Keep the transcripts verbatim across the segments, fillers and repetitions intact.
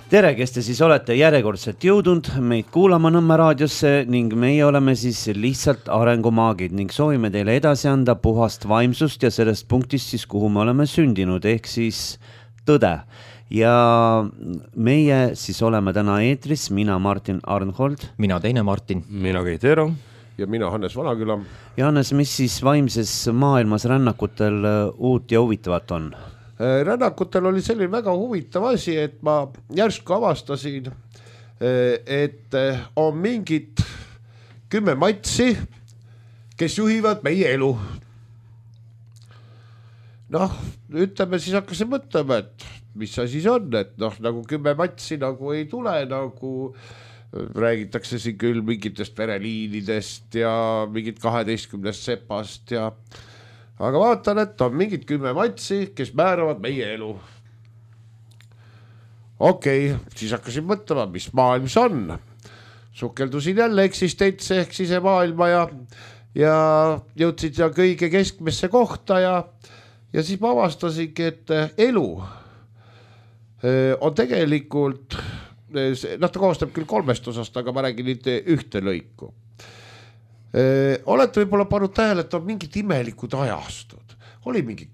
Tere, kes te siis olete järjekordselt jõudnud meid kuulama Nõmme raadiosse ning meie oleme siis lihtsalt arengumaagid ning soovime teile edasi anda puhast vaimsust ja sellest punktist siis, kuhu me oleme sündinud, ehk siis tõde. Ja meie siis oleme täna eetris, mina Martin Arnhold. Mina teine Martin. Mina Keit Eero. Ja mina Hannes Vanaküla. Ja Hannes, mis siis vaimses maailmas rännakutel uut ja huvitavat on? Rännakutel oli selline väga huvitav asi, et ma järsku avastasin, et on mingid kümme matsi, kes juhivad meie elu. Noh, ütleme siis hakkasin mõtlema, et mis see siis on, et noh, nagu kümme matsi nagu ei tule, nagu räägitakse siin küll mingitest vereliinidest ja mingit kaheteistkümnest sepast ja aga vaatan, et on mingid kümme matsi, kes määravad meie elu. Okei, okay, siis hakkasin mõtlema, mis maailm see on. Sukeldusin jälle eksistentse ehk sisemaailma ja, ja jõudsid ja kõige keskmesse kohta ja, ja siis ma avastasingi, et elu on tegelikult, noh ta koostab küll kolmest osast, aga ma räägin nüüd ühte lõiku. Olete võib-olla pannud tähele, et on mingid imelikud ajastud. Oli mingi,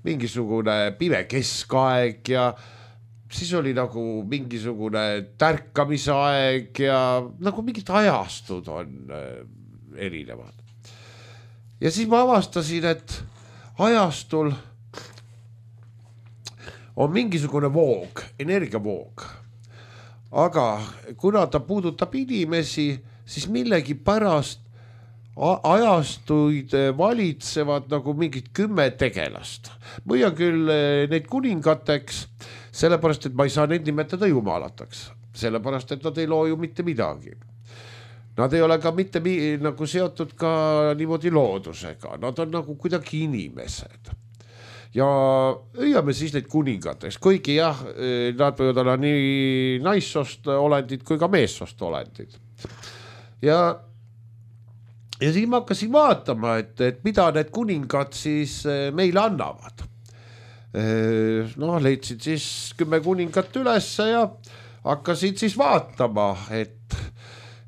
mingisugune pime keskaeg ja siis oli nagu mingisugune tärkamisaeg ja nagu mingid ajastud on erinevad. Ja siis ma avastasin, et ajastul on mingisugune voog, energiavoog. Aga kuna ta puudutab inimesi, siis millegi pärast ajastuid valitsevad nagu mingid kümme tegelast. Või on küll neid kuningateks, sellepärast, et ma ei saa neid nimetada jumalataks. Sellepärast, et nad ei loo ju mitte midagi. Nad ei ole ka mitte nagu seotud ka niimoodi loodusega. Nad on nagu kuidagi inimesed. Ja õiame siis neid kuningateks, kuigi jah, nad võivad olla nii naissost olendid kui ka meessost olendid. Ja, ja siis ma hakkasin vaatama, et, et mida need kuningad siis meile annavad. No, leidsid siis kümme kuningat ülesse ja hakkasid siis vaatama, et,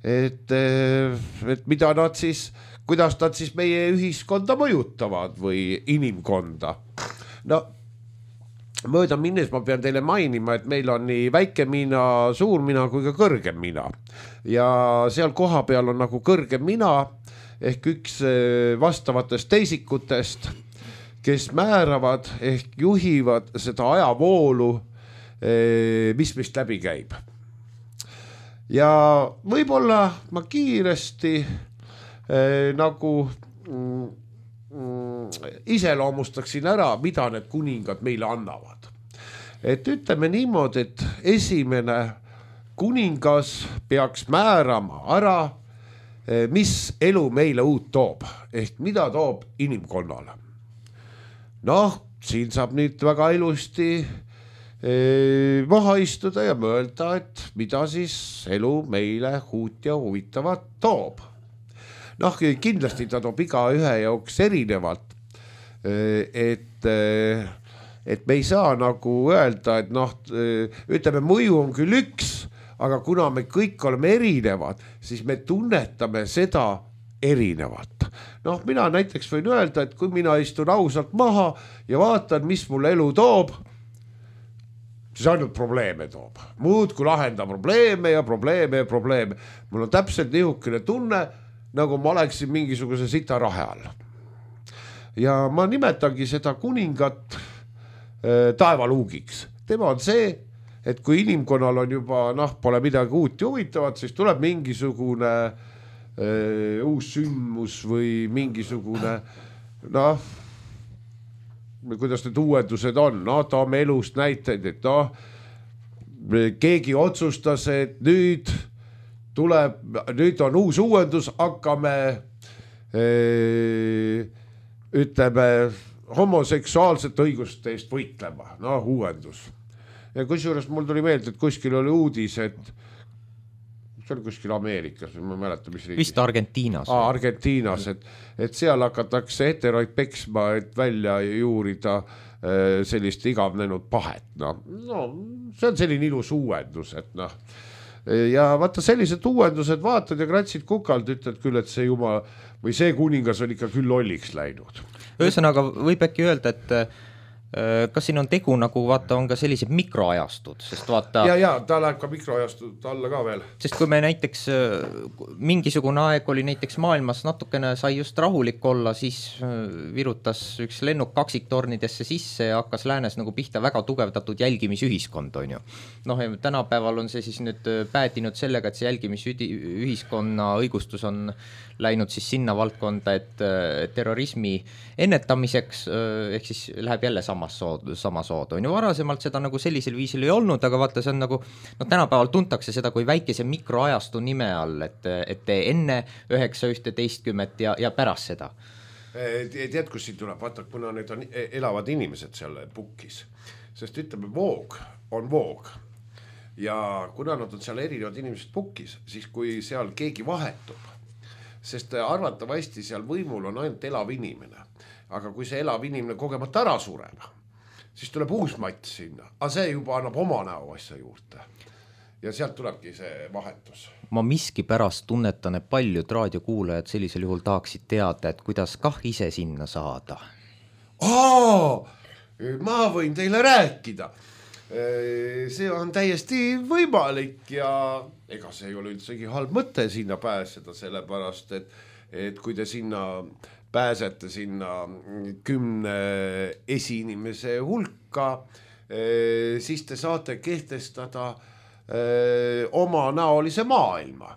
et, et mida nad siis, kuidas nad siis meie ühiskonda mõjutavad või inimkonda. No, mööda minnes ma pean teile mainima, et meil on nii väike mina, suur mina kui ka kõrgem mina. Ja seal koha peal on nagu kõrgem mina ehk üks vastavatest teisikutest, kes määravad ehk juhivad seda ajavoolu, mis mist läbi käib. Ja võib-olla ma kiiresti nagu iseloomustaksin ära, mida need kuningad meile annavad. Et ütleme niimoodi, et esimene kuningas peaks määrama ära, mis elu meile uut toob, ehk mida toob inimkonnale. Noh, siin saab nüüd väga ilusti maha istuda ja mõelda, et mida siis elu meile uut ja huvitavat toob. Noh, kindlasti ta toob iga ühe jauks erinevalt, et, et me ei saa nagu öelda, et noh, ütleme, mõju on küll üks, aga kuna me kõik oleme erinevad, siis me tunnetame seda erinevat. Noh, mina näiteks võin öelda, et kui mina istun ausalt maha ja vaatan, mis mul elu toob, siis ainult probleeme toob. Muud kui lahenda probleeme ja probleeme ja probleeme. Mul on täpselt nihukene tunne, nagu ma oleksin mingisuguse sita rahe all. Ja ma nimetangi seda kuningat äh, taevaluugiks. Tema on see, et kui inimkonnal on juba, noh, pole midagi uut ja huvitavat, siis tuleb mingisugune äh, uus sündmus või mingisugune, noh, kuidas need uuendused on, no toome elust näiteid, et noh, keegi otsustas, et nüüd tuleb, nüüd on uus uuendus, hakkame ee, ütleme homoseksuaalsete õiguste eest võitlema, noh uuendus. Ja kusjuures mul tuli meelde, et kuskil oli uudis, et see oli kuskil Ameerikas, ma ei mäleta, mis riigis. Vist Argentiinas. Aa, Argentiinas, et, et seal hakatakse heteroid peksma, et välja juurida sellist igavnenud pahet. No, no, see on selline ilus uuendus, et noh. Ja vaata sellised uuendused vaatad ja kratsid kukalt, ütled küll, et see jumal või see kuningas on ikka küll lolliks läinud. Ühesõnaga võib äkki öelda, et kas siin on tegu nagu vaata on ka sellised mikroajastud, sest vaata ja, ja ta läheb ka mikroajastud alla ka veel. Sest kui me näiteks mingisugune aeg oli näiteks maailmas natukene sai just rahulik olla, siis virutas üks lennuk kaksiktornidesse sisse ja hakkas läänes nagu pihta väga tugevdatud jälgimisühiskond, on ju. Noh, tänapäeval on see siis nüüd päädinud sellega, et see jälgimisühiskonna õigustus on läinud siis sinna valdkonda, et terrorismi ennetamiseks ehk siis läheb jälle sama sood, sama sood. On ju varasemalt seda nagu sellisel viisil ei olnud, aga vaata, see on nagu, no tänapäeval tuntakse seda kui väikese mikroajastu nime all, et, et enne üheksa ühteteistkümmet ja, ja pärast seda. Tead, kus siin tuleb, vaata, kuna need on elavad inimesed seal pukis, sest ütleme, voog on voog ja kuna nad on seal erinevad inimesed pukis, siis kui seal keegi vahetub, sest arvatavasti seal võimul on ainult elav inimene, aga kui see elav inimene kogemata ära sureb, siis tuleb uus matt sinna, aga see juba annab oma näo asja juurde ja sealt tulebki see vahetus. Ma miski pärast tunnetan, et paljud raadiokuulajad sellisel juhul tahaksid teada, et kuidas kah ise sinna saada. Aa, ma võin teile rääkida. See on täiesti võimalik ja ega see ei ole üldsegi halb mõte sinna pääseda, sellepärast, et, et kui te sinna pääsete sinna kümne esiinimese hulka, siis te saate kehtestada oma näolise maailma.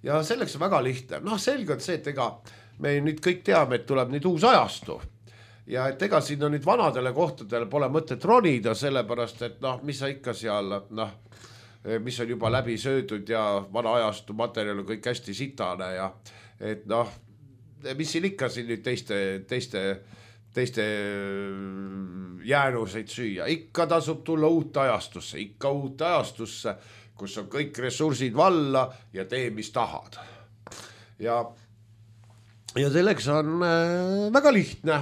Ja selleks on väga lihtne. Noh, selge on see, et ega me nüüd kõik teame, et tuleb nüüd uus ajastu. Ja et ega sinna nüüd vanadele kohtadele pole mõtet ronida, sellepärast, et noh, mis sa ikka seal, noh, mis on juba läbi söödud ja vana ajastu materjal on kõik hästi sitane ja et noh, mis siin ikka siin nüüd teiste, teiste, teiste jäänuseid süüa. Ikka tasub tulla uut ajastusse, ikka uut ajastusse, kus on kõik ressursid valla ja tee, mis tahad. Ja, ja selleks on äh, väga lihtne.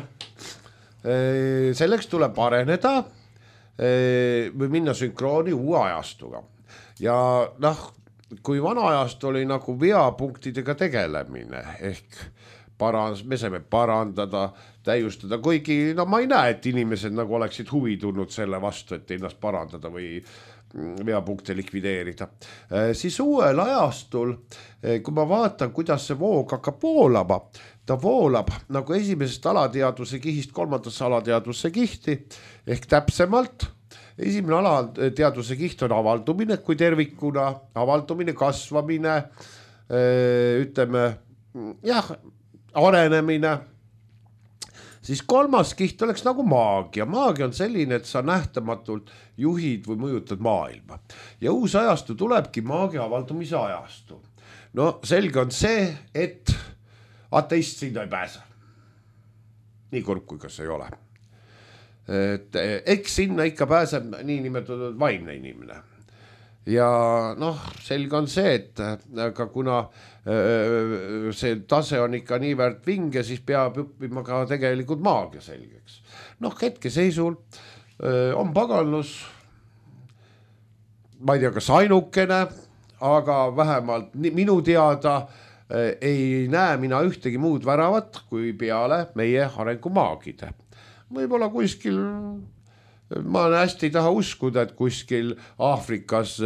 Äh, selleks tuleb areneda äh, või minna sünkrooni uue ajastuga. Ja noh, kui vana ajast oli nagu veapunktidega tegelemine ehk parans, me saime parandada, täiustada, kuigi no ma ei näe, et inimesed nagu oleksid huvi tulnud selle vastu, et ennast parandada või veapunkte likvideerida. Siis uuel ajastul, kui ma vaatan, kuidas see voog hakkab voolama, ta voolab nagu esimesest alateadvuse kihist kolmandasse alateadvuse kihti ehk täpsemalt esimene alateadvuse kiht on avaldumine kui tervikuna, avaldumine, kasvamine, ütleme, jah, arenemine. Siis kolmas kiht oleks nagu maagia. Maagia on selline, et sa nähtamatult juhid või mõjutad maailma. Ja uus ajastu tulebki maagia avaldumise ajastu. No selge on see, et ateist sinna ei pääse. Nii kurb kui kas ei ole. Et eks sinna ikka pääseb nii nimetatud vaimne inimene. Ja noh, selge on see, et aga kuna see tase on ikka nii väärt vinge, siis peab õppima ka tegelikult maagia selgeks. Noh, hetke seisul on pagallus, ma ei tea, kas ainukene, aga vähemalt minu teada ei näe mina ühtegi muud väravat kui peale meie arengumaagide. Võib-olla kuskil, ma hästi ei taha uskuda, et kuskil Aafrikas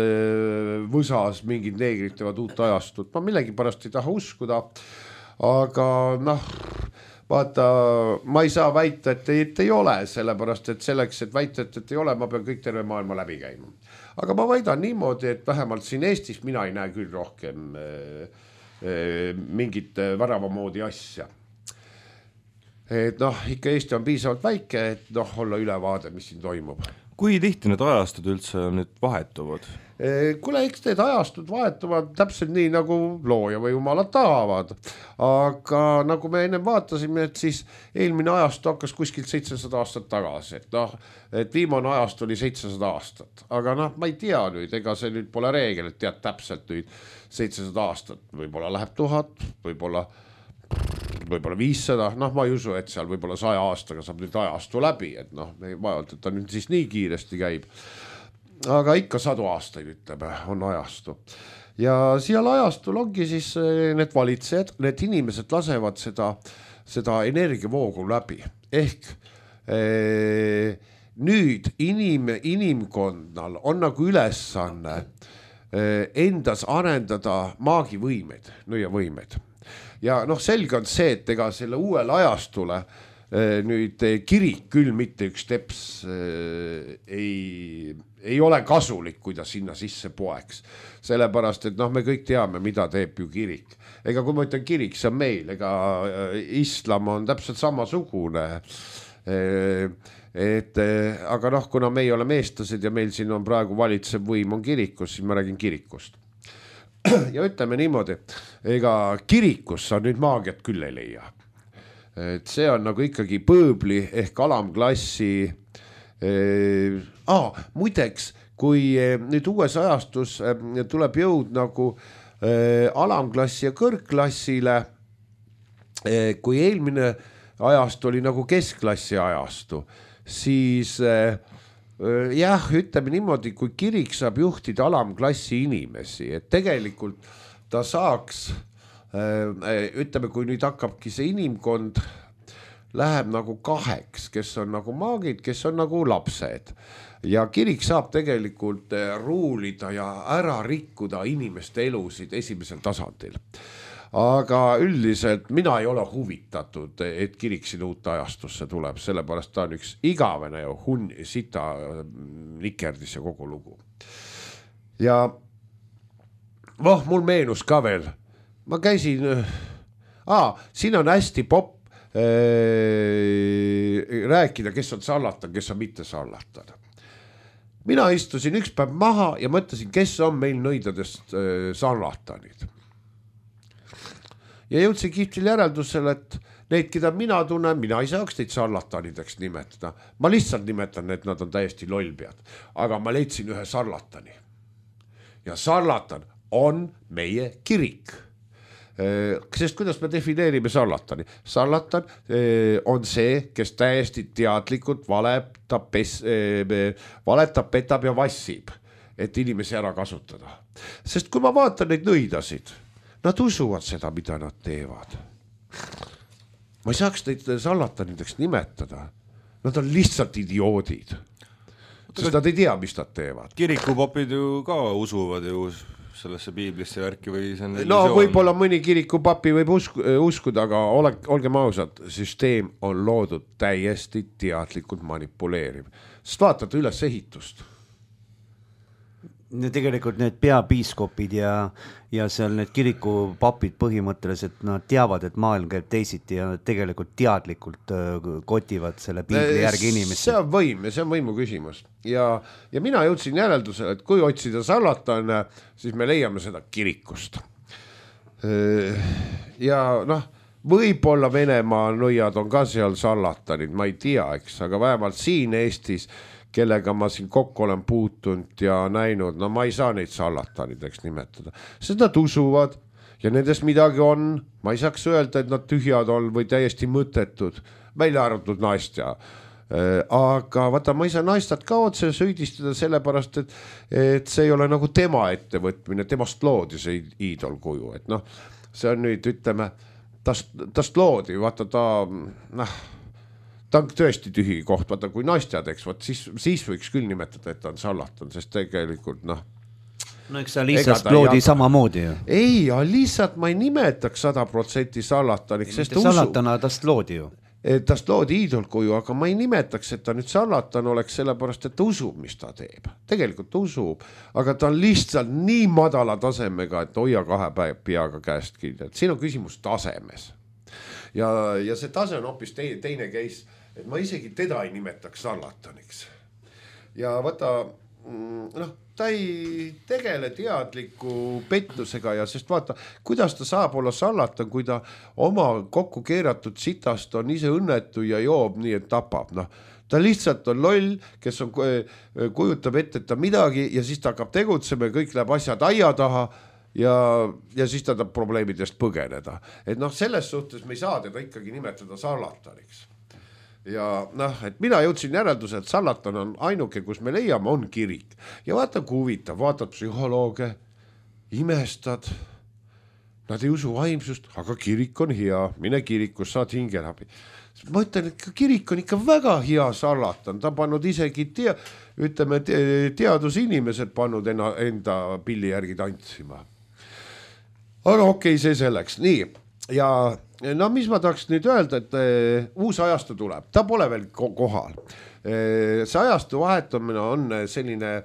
võsas mingid neegrid teevad uut ajastut. Ma millegi pärast ei taha uskuda, aga noh, vaata, ma ei saa väita, et ei, et ei ole, sellepärast, et selleks, et väita, et, et ei ole, ma pean kõik terve maailma läbi käima. Aga ma väidan niimoodi, et vähemalt siin Eestis mina ei näe küll rohkem mingit värava moodi asja. Et noh, ikka Eesti on piisavalt väike, et noh, olla ülevaade, mis siin toimub. Kui tihti need ajastud üldse nüüd vahetuvad? kuule, eks need ajastud vahetuvad täpselt nii, nagu looja või jumalad tahavad. Aga nagu me ennem vaatasime, et siis eelmine ajastu hakkas kuskilt seitsesada aastat tagasi. Et, noh, et viimane ajastu oli seitsesada aastat. Aga noh, ma ei tea nüüd, ega see nüüd pole reegel, et tead täpselt nüüd seitsesada aastat. Võib-olla läheb tuhat, võib-olla, võib-olla viissada. Noh, ma ei usu, et seal võib-olla saja aastaga saab nüüd ajastu läbi. Et noh, me ei vajalt, et ta nüüd siis nii kiiresti käib. Aga ikka sadu aastaid, ütleme, on ajastu. Ja seal ajastul ongi siis need valitsejad, need inimesed lasevad seda, seda energiavoogu läbi. Ehk ee, nüüd inim, inimkonnal on nagu ülesanne ee, endas arendada maagivõimed, nõiavõimed. Ja noh, selge on see, et ega selle uuel ajastule nüüd kirik küll mitte üks teps ei, ei ole kasulik, kui ta sinna sisse poeks. Sellepärast, et noh, me kõik teame, mida teeb ju kirik. Ega kui ma ütlen kirik, see on meil, ega islam on täpselt samasugune. Et, aga noh, kuna me ei ole meestlased ja meil siin on praegu valitsev võim on kirikus, siis ma räägin kirikust. Ja ütleme niimoodi, ega kirikus sa nüüd maagiat küll ei leia. Et see on nagu ikkagi põõbli ehk alamklassi. Eh, ah, muideks, kui nüüd uues ajastus tuleb jõud nagu eh, alamklassi ja kõrgklassile, eh, kui eelmine ajastu oli nagu keskklassi ajastu, siis eh, jah, ütleme niimoodi, kui kirik saab juhtida alamklassi inimesi, et tegelikult ta saaks ütleme, kui nüüd hakkabki see inimkond läheb nagu kaheks, kes on nagu maagid, kes on nagu lapsed ja kirik saab tegelikult ruulida ja ära rikkuda inimeste elusid esimesel tasandil. Aga üldiselt mina ei ole huvitatud, et kirik siin uut ajastusse tuleb, sellepärast ta on üks igavene ja hun, sita nikerdis ja kogu lugu. Ja voh, mul meenus ka veel ma käisin, aa, siin on hästi popp äh, rääkida, kes on sarlatan, kes on mitte sarlatan. Mina istusin üks päev maha ja mõtlesin, kes on meil nõidadest äh, sarlatanid. Ja jõudsin kihtil järeldusele, et neid, keda mina tunnen, mina ei saaks neid sarlatanideks nimetada. Ma lihtsalt nimetan, et nad on täiesti lollpead. Aga ma leidsin ühe sarlatani. Ja sarlatan on meie kirik. Sest kuidas me defineerime sarlatani? Sarlatan on see, kes täiesti teadlikult valetab, pes, valetab, petab ja vassib, et inimesi ära kasutada. Sest kui ma vaatan neid nõidasid, nad usuvad seda, mida nad teevad. Ma ei saaks neid sarlatanideks nimetada. Nad on lihtsalt idioodid. Sest nad ei tea, mis nad teevad. Kirikupopid ju ka usuvad ju sellesse piiblisse värki või see on no võib-olla mõni kirikupapi võib usku, uskuda, aga ole, olgem ausad, süsteem on loodud täiesti teadlikult manipuleeriv. Sest vaatad üles ehitust. Tegelikult need peapiiskopid ja, ja seal need kirikupapid põhimõtteliselt nad teavad, et maailm käib teisiti ja nad tegelikult teadlikult kotivad selle piibli järgi inimesi. See on võim ja see on võimu küsimus. Ja, ja mina jõudsin järeldusele, et kui otsida sarlatan, siis me leiame seda kirikust. Ja noh, võib-olla Venemaa nõiad on ka seal sarlatanid, ma ei tea, eks, aga vähemalt siin Eestis kellega ma siin kokku olen puutunud ja näinud, no ma ei saa neid sarlatanideks nimetada. Sest nad usuvad ja nendest midagi on. Ma ei saaks öelda, et nad tühjad on või täiesti mõttetud. Välja arvatud naistja. Aga vaata, ma ei saa naistat ka otse süüdistada sellepärast, et, et see ei ole nagu tema ettevõtmine, temast loodi see iidolkuju. Et noh, see on nüüd, ütleme, tast, tast loodi, vaata ta, noh, ta on tõesti tühi koht, vaata kui naistjad, eks, vaat siis, siis võiks küll nimetada, et ta on sarlatan, sest tegelikult noh. No eks sa lihtsalt loodi samamoodi ju. Ei, lihtsalt ma ei nimetaks sada protsenti sarlataniks. Mitte sarlatana tast loodi ju. Tast loodi iidolkuju, aga ma ei nimetaks, et ta nüüd sarlatan oleks sellepärast, et ta usub, mis ta teeb. Tegelikult ta usub, aga ta on lihtsalt nii madala tasemega, et hoia kahe peaga käest kinni. Siin on küsimus tasemes. Ja, ja see tase on hoopis teine, teine case, et ma isegi teda ei nimetaks sarlataniks. Ja vaata, noh, ta ei tegele teadliku pettusega ja sest vaata, kuidas ta saab olla sallatan, kui ta oma kokku keeratud sitast on ise õnnetu ja joob nii, et tapab, noh. Ta lihtsalt on loll, kes on, kujutab ette, et ta midagi ja siis ta hakkab tegutsema ja kõik läheb asjad aia taha ja, ja siis ta tahab probleemidest põgeneda. Et noh, selles suhtes me ei saa teda ikkagi nimetada sallataniks. Ja noh, et mina jõudsin järelduse, et sallatan on ainuke, kus me leiame, on kirik. Ja vaata, kui huvitav, vaatad psühholooge, imestad, nad ei usu vaimsust, aga kirik on hea, mine kirikus, saad hingelabi. Ma ütlen, et kirik on ikka väga hea sallatan, ta on pannud isegi tea, ütleme, teadusinimesed pannud enda, enda pilli järgi tantsima. Aga okei, see selleks, nii, ja no mis ma tahaks nüüd öelda, et e, uus ajastu tuleb, ta pole veel kohal. E, see ajastu vahetamine on selline,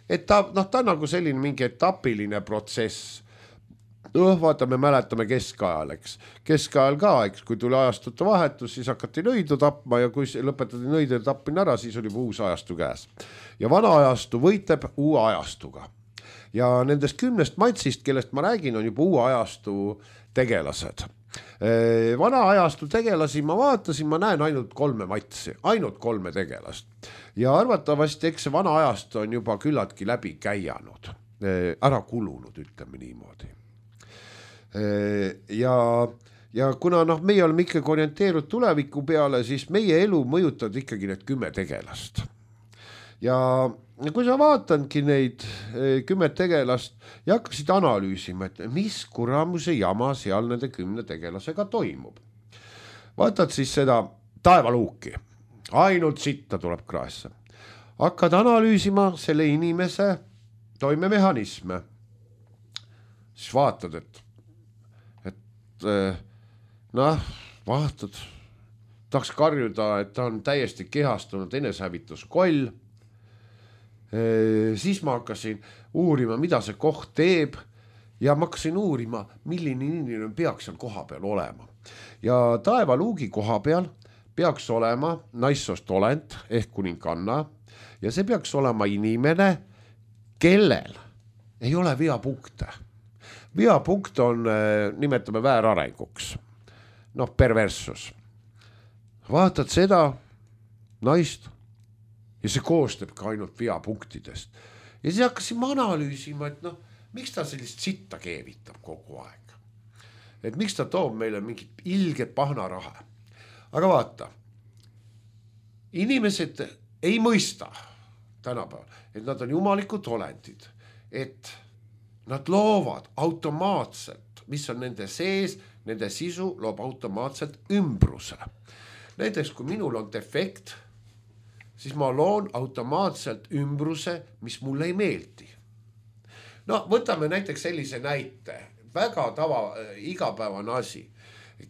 et ta, noh, ta on nagu selline mingi etapiline protsess. noh, vaata, me mäletame keskajal, eks. Keskajal ka, eks, kui tuli ajastute vahetus, siis hakati nõidu tapma ja kui lõpetati nõidu tappin ära, siis oli uus ajastu käes. Ja vana ajastu võitleb uue ajastuga. Ja nendest kümnest matsist, kellest ma räägin, on juba uue ajastu tegelased. Vana ajastu tegelasi ma vaatasin, ma näen ainult kolme matsi, ainult kolme tegelast. Ja arvatavasti, eks see vana ajastu on juba küllaltki läbi käianud, ära kulunud, ütleme niimoodi. Ja, ja kuna noh, meie oleme ikkagi orienteerud tuleviku peale, siis meie elu mõjutavad ikkagi need kümme tegelast. Ja kui sa vaatangi neid kümme tegelast ja hakkasid analüüsima, et mis kuramuse jama seal nende kümne tegelasega toimub. Vaatad siis seda taevaluuki, ainult sitta tuleb kraesse. Hakkad analüüsima selle inimese toimemehhanisme. Siis vaatad, et noh, vaatad, tahaks karjuda, et ta on täiesti kehastunud enesehävituskoll. Siis ma hakkasin uurima, mida see koht teeb ja ma hakkasin uurima, milline inimene peaks seal koha peal olema. Ja taevaluugi koha peal peaks olema naissoost olend ehk kuninganna ja see peaks olema inimene, kellel ei ole veapunkte. Veapunkt on, nimetame väärarenguks, noh, perversus. Vaatad seda naist ja see koostab ka ainult veapunktidest. Ja siis hakkasin ma analüüsima, et noh, miks ta sellist sitta keevitab kogu aeg. Et miks ta toob meile mingit ilget pahnaraha. Aga vaata, inimesed ei mõista tänapäeval, et nad on jumalikud olendid, et nad loovad automaatselt, mis on nende sees, nende sisu loob automaatselt ümbruse. Näiteks, kui minul on defekt, siis ma loon automaatselt ümbruse, mis mulle ei meeldi. No, võtame näiteks sellise näite. Väga tava, igapäevane asi.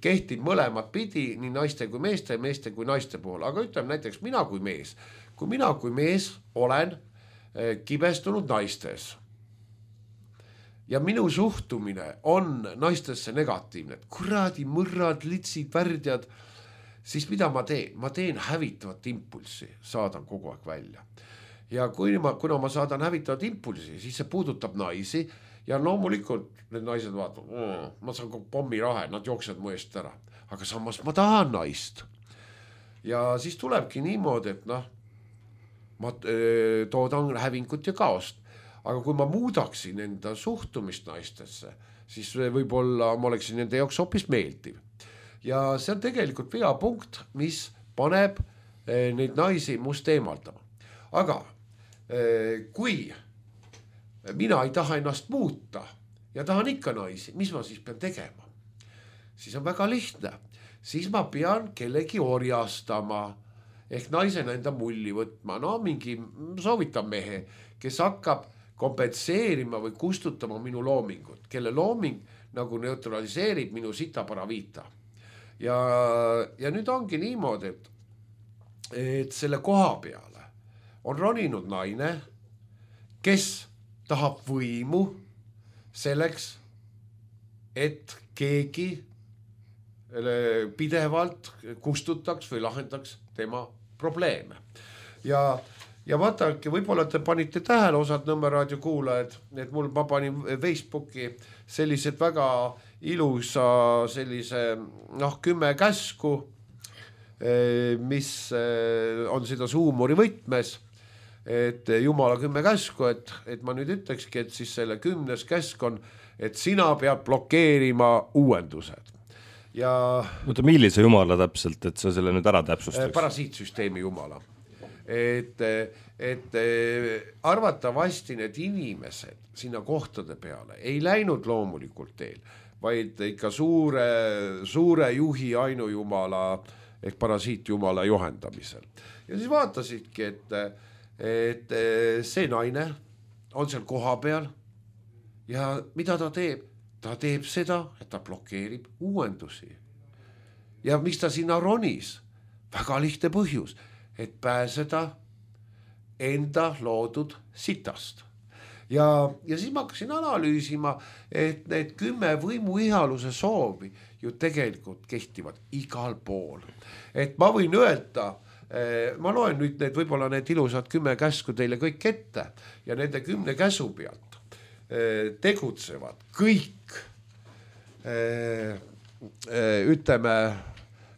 Kehtib mõlemad pidi, nii naiste kui meeste, meeste kui naiste puhul. Aga ütleme näiteks mina kui mees. Kui mina kui mees olen kibestunud naistes, ja minu suhtumine on naistesse negatiivne, et kuradi mõrrad, litsid, värdjad, siis mida ma teen? Ma teen hävitavat impulsi, saadan kogu aeg välja. Ja kui ma, kuna ma saadan hävitavat impulsi, siis see puudutab naisi ja loomulikult need naised vaatavad, oh, ma saan pommi rahe, nad jooksevad mu eest ära. Aga samas ma tahan naist. Ja siis tulebki niimoodi, et noh, ma toodan hävingut ja kaost. Aga kui ma muudaksin enda suhtumist naistesse, siis võib-olla ma oleksin nende jaoks hoopis meeldiv. Ja see on tegelikult veapunkt, mis paneb neid naisi must eemaldama. Aga kui mina ei taha ennast muuta ja tahan ikka naisi, mis ma siis pean tegema? Siis on väga lihtne. Siis ma pean kellegi orjastama ehk naisena enda mulli võtma. No mingi soovitan mehe, kes hakkab kompenseerima või kustutama minu loomingut, kelle looming nagu neutraliseerib minu sitaparaviita. Ja, ja nüüd ongi niimoodi, et, et selle koha peale on roninud naine, kes tahab võimu selleks, et keegi pidevalt kustutaks või lahendaks tema probleeme. Ja ja vaadake, võib-olla te panite tähele osad Nõmme raadio kuulajad, et mul ma panin Facebooki sellised väga ilusa sellise noh, kümme käsku, mis on seda huumori võtmes, et Jumala kümme käsku, et, et ma nüüd ütlekski, et siis selle kümnes käsk on, et sina pead blokeerima uuendused. Ja Oota, millise Jumala täpselt, et sa selle nüüd ära täpsustaks? Parasiitsüsteemi Jumala. Et, et arvatavasti need inimesed sinna kohtade peale ei läinud loomulikult teel, vaid ikka suure, suure juhi ainujumala ehk parasiitjumala juhendamisel. Ja siis vaatasidki, et, et see naine on seal koha peal ja mida ta teeb? Ta teeb seda, et ta blokeerib uuendusi. Ja miks ta sinna ronis? Väga lihtne põhjus, et pääseda enda loodud sitast. Ja, ja siis ma hakkasin analüüsima, et need kümme võimuihaluse soovi ju tegelikult kehtivad igal pool. Et ma võin öelda, ma loen nüüd need võib-olla need ilusad kümme käsku teile kõik ette ja nende kümne käsu pealt tegutsevad kõik, ütleme,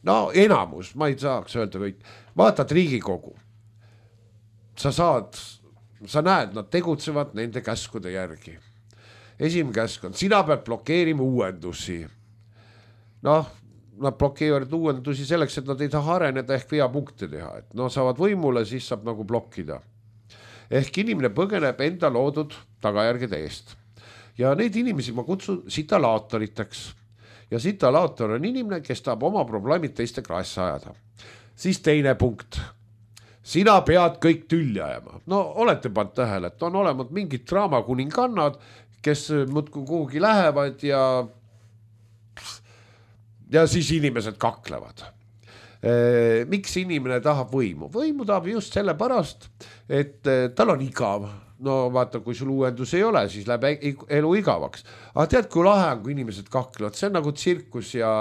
no enamus, ma ei saaks öelda kõik, vaatad Riigikogu, sa saad, sa näed, nad tegutsevad nende käskude järgi. Esimene käsk on, sina pead blokeerima uuendusi. Noh, nad blokeerivad uuendusi selleks, et nad ei taha areneda ehk veapunkte teha. Et no saavad võimule, siis saab nagu blokkida. Ehk inimene põgeneb enda loodud tagajärgede eest. Ja neid inimesi ma kutsun sitalaatoriteks. Ja sitalaator on inimene, kes tahab oma probleemid teiste kraesse ajada. Siis teine punkt. Sina pead kõik tülli ajama. No olete pannud tähele, et on olemas mingid draamakuningannad, kes muudkui kuhugi lähevad ja ja siis inimesed kaklevad. E, miks inimene tahab võimu? Võimu tahab just selle pärast, et tal on igav. No vaata, kui sul uuendus ei ole, siis läheb elu igavaks. Aga tead, kui lahe on, kui inimesed kaklevad, see on nagu tsirkus ja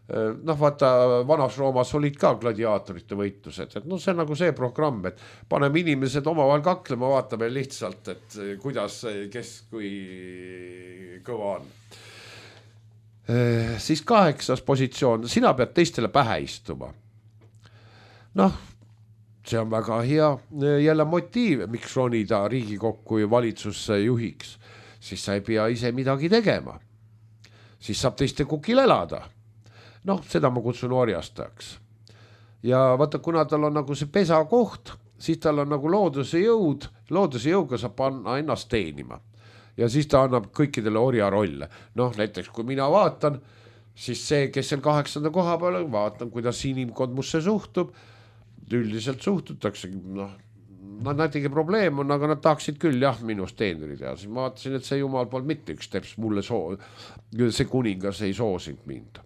noh, vaata, vanas Roomas olid ka gladiaatorite võitlused, et no see on nagu see programm, et paneme inimesed omavahel kaklema, vaatame lihtsalt, et kuidas, kes kui kõva on. Siis kaheksas positsioon, sina pead teistele pähe istuma. Noh, see on väga hea jälle motiiv, miks ronida Riigikokku ja valitsusse juhiks. Siis sa ei pea ise midagi tegema. Siis saab teiste kukil elada. Noh, seda ma kutsun orjastajaks. Ja vaata, kuna tal on nagu see pesa koht, siis tal on nagu looduse jõud, looduse jõuga saab panna ennast teenima. Ja siis ta annab kõikidele orja rolle. Noh, näiteks kui mina vaatan, siis see, kes seal kaheksanda koha peal, vaatan, kuidas inimkond musse suhtub, üldiselt suhtutakse, noh, nad näitegi probleem on, aga nad tahaksid küll jah minust teenrid ja siis ma vaatasin, et see jumal poolt mitte üks teps mulle soo, see kuningas ei soosinud mind.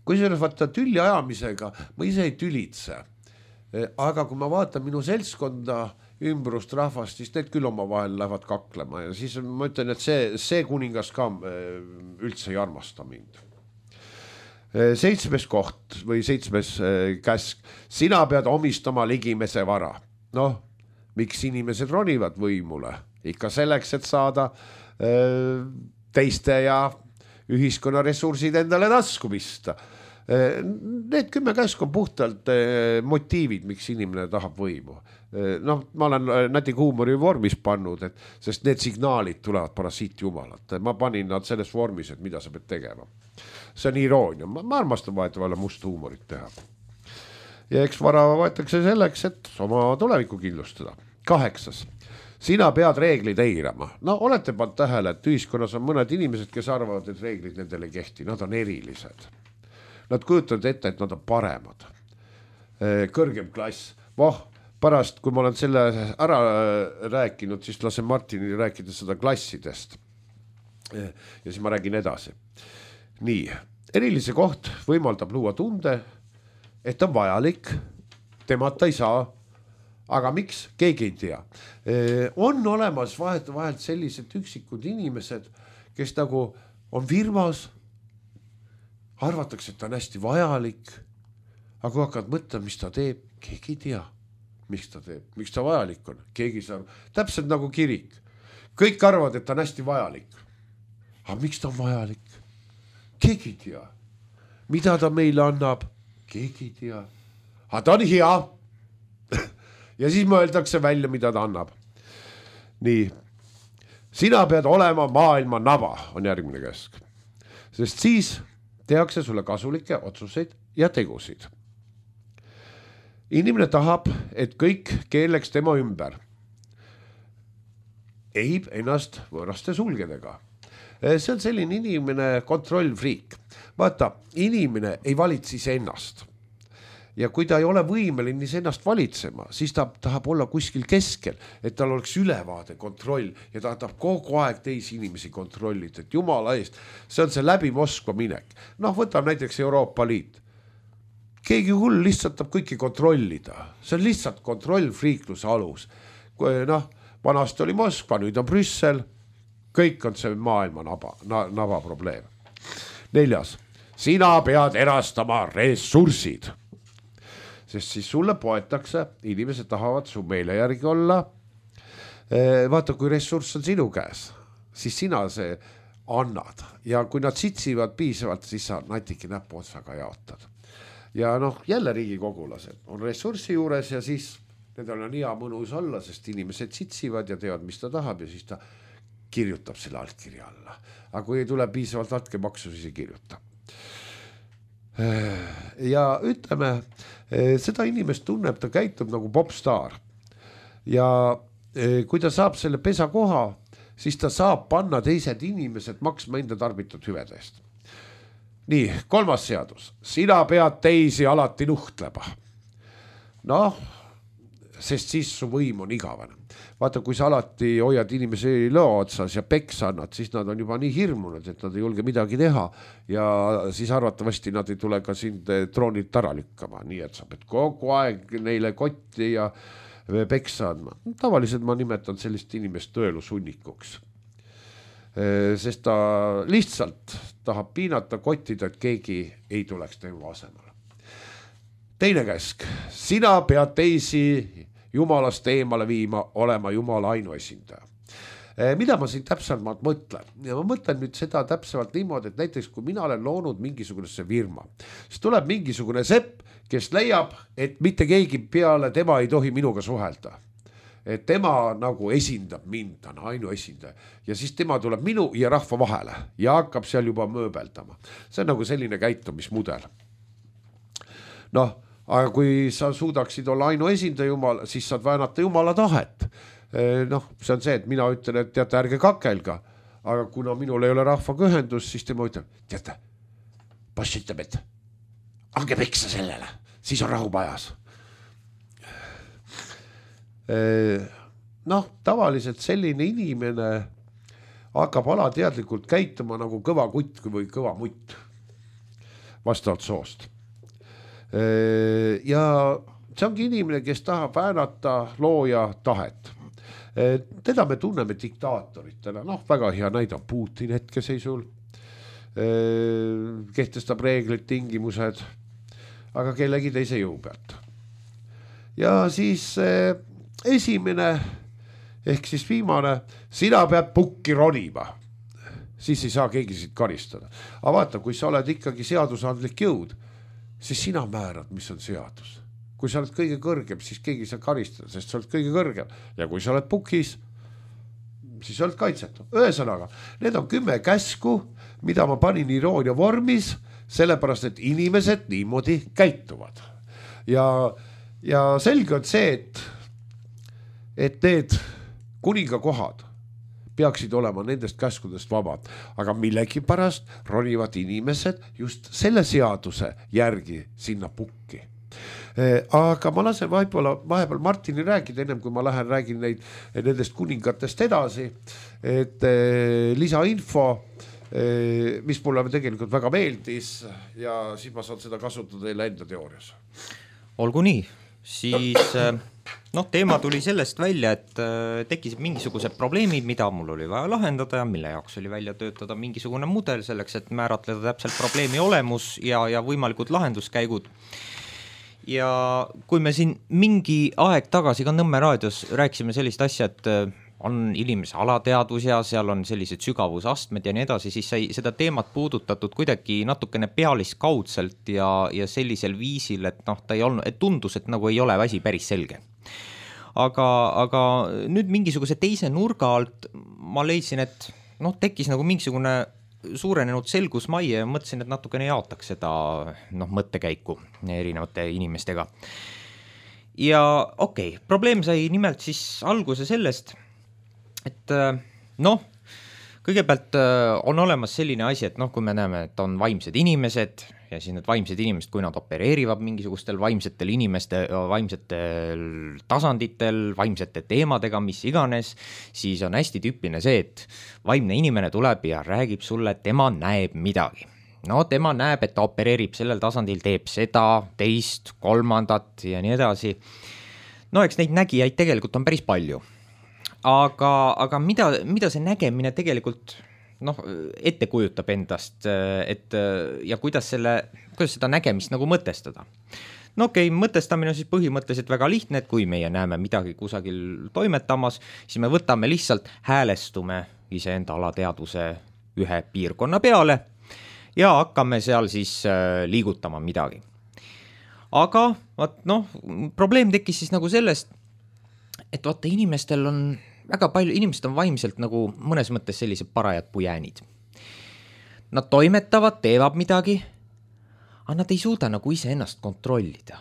Kui see vaata tülli ajamisega, ma ise ei tülitse, aga kui ma vaatan minu seltskonda ümbrust rahvast, siis need küll oma vahel lähevad kaklema ja siis ma ütlen, et see, see kuningas ka üldse ei armasta mind. Seitsmes koht või seitsmes käsk, sina pead omistama ligimese vara. Noh, miks inimesed ronivad võimule? Ikka selleks, et saada teiste ja ühiskonna ressursid endale tasku pista. Need kümme käsk on puhtalt motiivid, miks inimene tahab võimu. Noh, ma olen näti huumori vormis pannud, et, sest need signaalid tulevad parasiitjumalalt. Ma panin nad selles vormis, et mida sa pead tegema. See on iroonia. Ma, ma armastan vahetavale must huumorit teha. Ja eks vara võetakse selleks, et oma tulevikku kindlustada. Kaheksas. Sina pead reeglid eirama. No olete pannud tähele, et ühiskonnas on mõned inimesed, kes arvavad, et reeglid nendele ei kehti. Nad on erilised. Nad kujutavad ette, et nad on paremad. Kõrgem klass. Voh, pärast, kui ma olen selle ära rääkinud, siis lasen Martinile rääkida seda klassidest. Ja siis ma räägin edasi. Nii, erilise koht võimaldab luua tunde, et on vajalik, temata ei saa, aga miks, keegi ei tea. On olemas vahet vahelt sellised üksikud inimesed, kes nagu on firmas, arvatakse, et ta on hästi vajalik, aga kui hakkad mõtlema, mis ta teeb, keegi ei tea. miks ta teeb, miks ta vajalik on, keegi saab, täpselt nagu kirik. Kõik arvavad, et ta on hästi vajalik. Aga miks ta on vajalik? Keegi ei tea. Mida ta meile annab? Keegi ei tea. Aga ta on hea. Ja siis mõeldakse välja, mida ta annab. Nii. Sina pead olema maailma naba, on järgmine käsk. Sest siis tehakse sulle kasulikke otsuseid ja tegusid. Inimene tahab, et kõik keeleks tema ümber. Ehib ennast võõraste sulgedega. See on selline inimene kontrollfriik. Vaata, inimene ei valitse ennast. Ja kui ta ei ole võimeline ennast valitsema, siis ta tahab olla kuskil keskel, et tal oleks ülevaade, kontroll ja ta tahab kogu aeg teisi inimesi kontrollida, et jumala eest, see on see läbi Moskva minek. Noh, võtab näiteks Euroopa Liit. Keegi hull lihtsalt tahab kõiki kontrollida. See on lihtsalt kontrollfriikluse alus. Noh, vanast oli Moskva, nüüd on Brüssel. Kõik on see maailma naba, naba probleem. Neljas. Sina pead erastama ressursid. Sest siis sulle poetakse, inimesed tahavad su meele järgi olla. Vaata, kui ressurss on sinu käes, siis sina see annad. Ja kui nad sitsivad piisavalt, siis sa natiki näpu otsaga jaotad. Ja noh, jälle riigikogulased on ressurssi juures ja siis nendel on hea mõnus olla, sest inimesed sitsivad ja teavad, mis ta tahab ja siis ta kirjutab selle altkirja alla. Aga kui ei tule piisavalt altkemaksu, siis ei kirjuta. Ja ütleme, seda inimest tunneb, ta käitub nagu popstar. Ja kui ta saab selle pesa koha, siis ta saab panna teised inimesed maksma enda tarbitud hüvedest. Nii, kolmas seadus. Sina pead teisi alati nuhtlema. Noh, sest siis su võim on igavane. Vaata, kui sa alati hoiad inimesi lõo otsas ja peks annad, siis nad on juba nii hirmunud, et nad ei julge midagi teha ja siis arvatavasti nad ei tule ka sind troonilt ära lükkama. Nii et sa pead kogu aeg neile kotti ja peksa andma. Tavaliselt ma nimetan sellist inimest tõelusunnikuks. Sest ta lihtsalt tahab piinata kottida, et keegi ei tuleks tema asemel. Teine käsk. Sina pead teisi jumalast eemale viima, olema jumala ainuesindaja. Mida ma siin täpsemalt mõtlen? Ja ma mõtlen nüüd seda täpsemalt niimoodi, et näiteks kui mina olen loonud mingisugusesse firma, siis tuleb mingisugune sepp, kes leiab, et mitte keegi peale tema ei tohi minuga suhelda. Et tema nagu esindab mind, ta on ainuesindaja. Ja siis tema tuleb minu ja rahva vahele ja hakkab seal juba mööbeldama. See on nagu selline käitumismudel. Noh, aga kui sa suudaksid olla ainu esindaja jumala, siis saad väänata jumala tahet. Noh, see on see, et mina ütlen, et teate, ärge kakelga. Aga kuna minul ei ole rahvaga ühendus, siis tema ütleb, teate, boss ütleb, et ange peksa sellele, siis on rahu pajas. Noh, tavaliselt selline inimene hakkab alateadlikult käituma nagu kõva kutt või kõva mutt vastavalt soost. Ja see ongi inimene, kes tahab väänata looja tahet. Teda me tunneme diktaatoritena, noh, väga hea näide on Putin hetkeseisul, kehtestab reeglid, tingimused, aga kellegi teise jõu pealt. Ja siis esimene, ehk siis viimane, sina pead pukki ronima, siis ei saa keegi siit karistada. Aga vaata, kui sa oled ikkagi seadusandlik jõud, siis sina määrad, mis on seadus. Kui sa oled kõige kõrgem, siis keegi sa karistada, sest sa oled kõige kõrgem. Ja kui sa oled pukis, siis sa oled kaitsetu. Ühesõnaga, need on kümme käsku, mida ma panin iroonia vormis, sellepärast, et inimesed niimoodi käituvad. Ja, ja selge on see, et, et need kuningakohad peaksid olema nendest käskudest vabad, aga millegi pärast ronivad inimesed just selle seaduse järgi sinna pukki. Aga ma lasen vahepeal, vahepeal Martini rääkida, ennem kui ma lähen räägin neid, nendest kuningatest edasi, et lisainfo, mis mulle tegelikult väga meeldis ja siis ma saan seda kasutada teile enda teoorias. Olgu nii, siis noh, teema tuli sellest välja, et tekkisid mingisugused probleemid, mida mul oli vaja lahendada ja mille jaoks oli välja töötada mingisugune mudel selleks, et määratleda täpselt probleemi olemus ja, ja võimalikud lahenduskäigud. ja kui me siin mingi aeg tagasi ka Nõmme raadios rääkisime sellist asja, et on inimese alateadvus ja seal on sellised sügavusastmed ja nii edasi, siis sai seda teemat puudutatud kuidagi natukene pealiskaudselt ja, ja sellisel viisil, et noh, ta ei olnud, et tundus, et nagu ei ole asi päris selge. Aga, aga nüüd mingisuguse teise nurga alt ma leidsin, et noh, tekkis nagu mingisugune suurenenud selgusmaie ja mõtlesin, et natukene jaotaks seda noh, mõttekäiku erinevate inimestega. Ja okei, okay, probleem sai nimelt siis alguse sellest, et noh, kõigepealt on olemas selline asi, et noh, kui me näeme, et on vaimsed inimesed ja siis need vaimsed inimesed, kui nad opereerivad mingisugustel vaimsetel inimeste, vaimsetel tasanditel, vaimsete teemadega, mis iganes, siis on hästi tüüpiline see, et vaimne inimene tuleb ja räägib sulle, et tema näeb midagi. No tema näeb, et ta opereerib sellel tasandil, teeb seda, teist, kolmandat ja nii edasi. No eks neid nägijaid tegelikult on päris palju. Aga, aga mida, mida see nägemine tegelikult noh, ette kujutab endast, et ja kuidas, selle, kuidas seda nägemist nagu mõtestada. No okei, okay, mõtestamine on siis põhimõtteliselt väga lihtne, et kui meie näeme midagi kusagil toimetamas, siis me võtame lihtsalt, häälestume iseenda alateadvuse ühe piirkonna peale ja hakkame seal siis liigutama midagi. Aga vaat, noh, probleem tekkis siis nagu sellest, et vaata, inimestel on väga palju, inimesed on vaimselt nagu mõnes mõttes sellised parajad pujäänid. Nad toimetavad, teevad midagi, aga nad ei suuda nagu ise ennast kontrollida.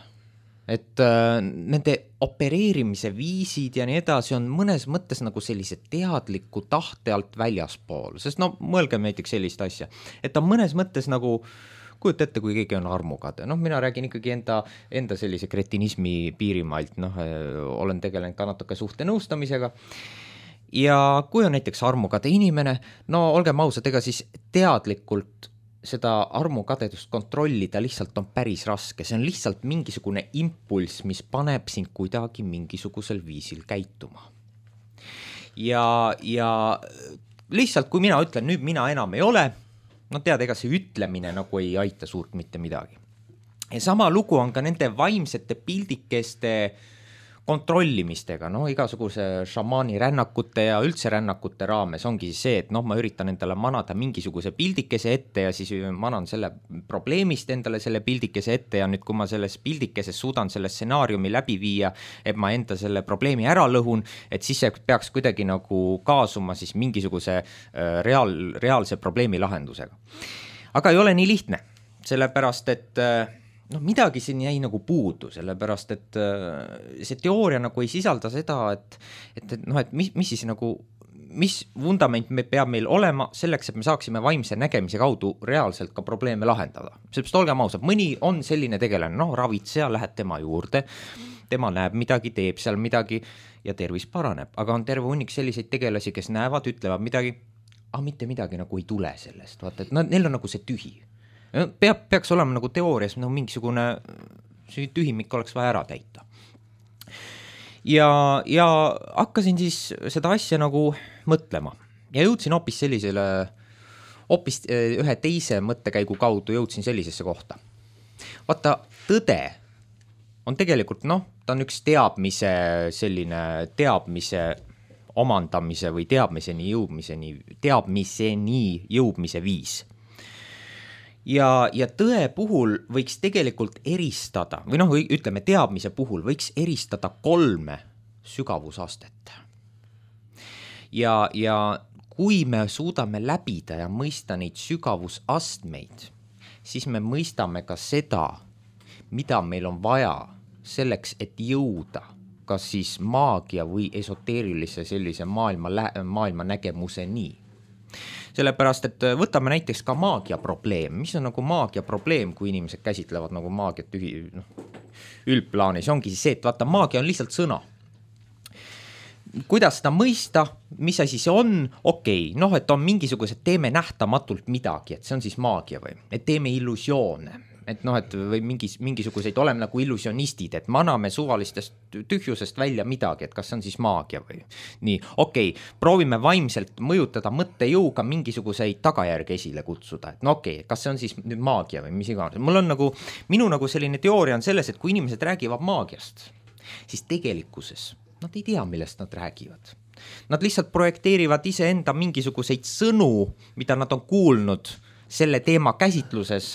Et äh, nende opereerimise viisid ja nii edasi on mõnes mõttes nagu sellise teadliku tahte alt väljaspool, sest no mõelgem näiteks sellist asja, et on mõnes mõttes nagu kujuta ette, kui keegi on armukade. Noh, mina räägin ikkagi enda, enda sellise kretinismi piirimailt, noh, olen tegelenud ka natuke suhte nõustamisega. Ja kui on näiteks armukade inimene, no olgem ausad, ega siis teadlikult seda armukadedust kontrollida lihtsalt on päris raske. See on lihtsalt mingisugune impulss, mis paneb sind kuidagi mingisugusel viisil käituma. Ja, ja lihtsalt, kui mina ütlen, nüüd mina enam ei ole, no tead, ega see ütlemine nagu ei aita suurt mitte midagi. Ja sama lugu on ka nende vaimsete pildikeste kontrollimistega, no igasuguse šamaani rännakute ja üldse rännakute raames ongi see, et noh, ma üritan endale manada mingisuguse pildikese ette ja siis manan selle probleemist endale selle pildikese ette ja nüüd, kui ma selles pildikeses suudan selle stsenaariumi läbi viia, et ma enda selle probleemi ära lõhun, et siis see peaks kuidagi nagu kaasuma siis mingisuguse reaal, reaalse probleemi lahendusega. Aga ei ole nii lihtne, sellepärast, et noh, midagi siin jäi nagu puudu, sellepärast, et see teooria nagu ei sisalda seda, et, et, et, noh, et mis, mis siis nagu, mis vundament me peab meil olema selleks, et me saaksime vaimse nägemise kaudu reaalselt ka probleeme lahendada. Sellepärast olgem ausad, mõni on selline tegelane, noh, ravitseja, lähed tema juurde, tema näeb midagi, teeb seal midagi ja tervis paraneb, aga on terve hunnik selliseid tegelasi, kes näevad, ütlevad midagi, aga mitte midagi nagu ei tule sellest, vaata, et neil on nagu see tühi. Peab, peaks olema nagu teoorias nagu mingisugune tühimik oleks vaja ära täita. Ja, ja hakkasin siis seda asja nagu mõtlema ja jõudsin hoopis sellisele, hoopis ühe teise mõttekäigu kaudu jõudsin sellisesse kohta. Vaata, tõde on tegelikult, noh, ta on üks teadmise, selline teadmise omandamise või teadmiseni jõudmiseni, teadmiseni jõudmise viis. Ja, ja tõe puhul võiks tegelikult eristada, või noh, ütleme teadmise puhul võiks eristada kolme sügavusastet. Ja, ja kui me suudame läbida ja mõista neid sügavusastmeid, siis me mõistame ka seda, mida meil on vaja selleks, et jõuda kas siis maagia või esoteerilise sellise maailma, maailma nägemuse nii. Sellepärast, et võtame näiteks ka maagia probleem. Mis on nagu maagia probleem, kui inimesed käsitlevad nagu maagiat ühi, noh, üldplaanis? Ongi siis see, et vaata, maagia on lihtsalt sõna. Kuidas seda mõista, mis asi see on? Okei, okay, noh, et on mingisugused, teeme nähtamatult midagi, et see on siis maagia või, et teeme illusioone. et noh, et või mingis, mingisuguseid oleme nagu illusionistid, et me anname suvalistest tühjusest välja midagi, et kas see on siis maagia või nii, okei okay,, proovime vaimselt mõjutada mõttejõuga mingisuguseid tagajärgi esile kutsuda, et no okei okay,, kas see on siis nüüd maagia või mis iganes, mul on nagu, minu nagu selline teooria on selles, et kui inimesed räägivad maagiast, siis tegelikkuses nad ei tea, millest nad räägivad. Nad lihtsalt projekteerivad iseenda mingisuguseid sõnu, mida nad on kuulnud selle teema käsitluses,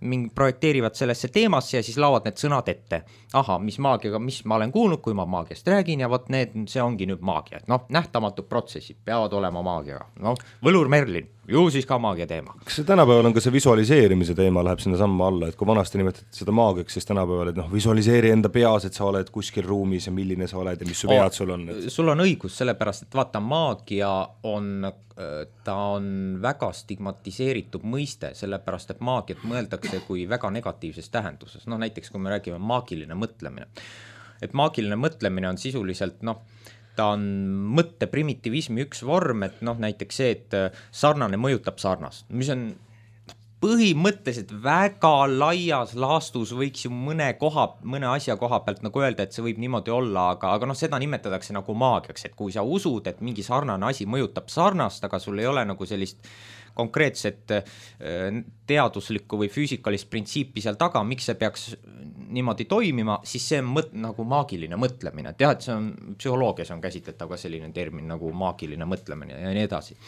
mingi projekteerivad sellesse teemasse ja siis laovad need sõnad ette. Aha, mis maagiaga, mis ma olen kuulnud, kui ma maagiast räägin ja võt need, see ongi nüüd maagia. Et noh, nähtamatud protsessid peavad olema maagiaga. No, Võlur Merlin, ju siis ka maagia teema. Kas see tänapäeval on ka see visualiseerimise teema läheb sinna samma alla, et kui vanasti nimetati seda maagiaks, siis tänapäeval, et noh, visualiseeri enda peas, et sa oled kuskil ruumis ja milline sa oled ja mis su pead sul on. Et... Sul on õigus, sellepärast, et vaata, maagia on, ta on väga stigmatiseeritud mõiste, sellepärast, et maagiat mõeldakse kui väga negatiivses tähenduses. No näiteks, kui me räägime maagiline mõtlemine, et maagiline mõtlemine on sisuliselt, noh, ta on mõtte primitivismi üks vorm, et noh, näiteks see, et sarnane mõjutab sarnast, mis on põhimõtteliselt väga laias laastus võiks ju mõne koha, mõne asja koha pealt nagu öelda, et see võib niimoodi olla, aga, aga noh, seda nimetatakse nagu maagiaks, et kui sa usud, et mingi sarnane asi mõjutab sarnast, aga sul ei ole nagu sellist konkreetset teaduslikku või füüsikalist printsiipi seal taga, miks see peaks niimoodi toimima, siis see on mõt, nagu maagiline mõtlemine. Tead, see on, psühholoogias on käsitletav ka selline termin nagu maagiline mõtlemine ja nii edasi.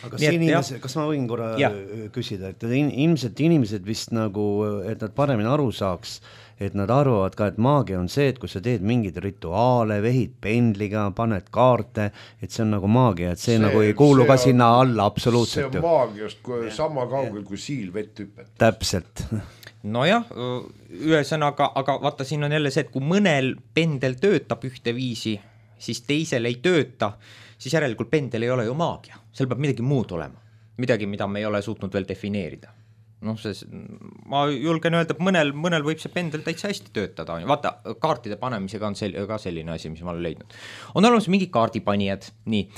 Aga siin inimese, kas ma võin korra ja. küsida, et ilmselt inimesed vist nagu, et nad paremini aru saaks, et nad arvavad ka, et maagia on see, et kui sa teed mingeid rituaale, vehid pendliga, paned kaarte, et see on nagu maagia, et see, see nagu ei kuulu ka on, sinna alla absoluutselt. See on maagiast kui, sama kaugel kui siil vett hüpet. Täpselt. Nojah, ühesõnaga, aga vaata, siin on jälle see, et kui mõnel pendel töötab ühte viisi, siis teisel ei tööta, siis järelikult pendel ei ole ju maagia. Seal peab midagi muud olema. Midagi, mida me ei ole suutnud veel defineerida. Noh, see, ma julgen öelda, et mõnel, mõnel võib see pendel täitsa hästi töötada. Vaata, kaartide panemisega on sel, ka selline asi, mis ma olen leidnud. On olemas mingi kaardipanijad, nii.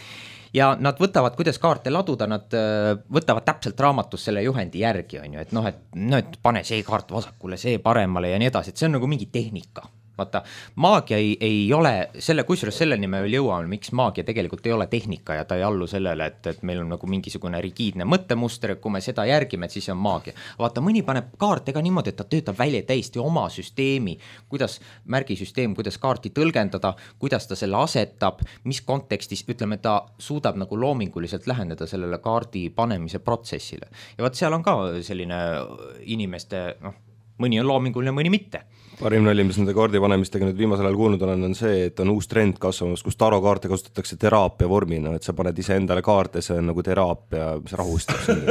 Ja nad võtavad, kuidas kaarte laduda, nad võtavad täpselt raamatus selle juhendi järgi, on ju, et noh, et, no, et pane see kaart vasakule, see paremale ja nii edasi, et see on nagu mingi tehnika. Vaata, maagia ei, ei ole, selle, kusjuures selleni me veel jõuame, miks maagia tegelikult ei ole tehnika ja ta ei allu sellele, et, et meil on nagu mingisugune rigiidne mõttemuster, et kui me seda järgime, et siis on maagia. Vaata, mõni paneb kaarte ka niimoodi, et ta töötab välja täiesti oma süsteemi, kuidas märgisüsteem, kuidas kaarti tõlgendada, kuidas ta selle asetab, mis kontekstis, ütleme, ta suudab nagu loominguliselt läheneda sellele kaardi panemise protsessile. Ja vaat seal on ka selline inimeste, noh, mõni on loominguline, mõni mitte. Parim nali, mis nende kaardi panemistega nüüd viimasel ajal kuulnud olen, on see, et on uus trend kasvamas, kus tarokaarte kasutatakse teraapia vormina, et sa paned ise endale kaarte, see on nagu teraapia, mis rahustab sind.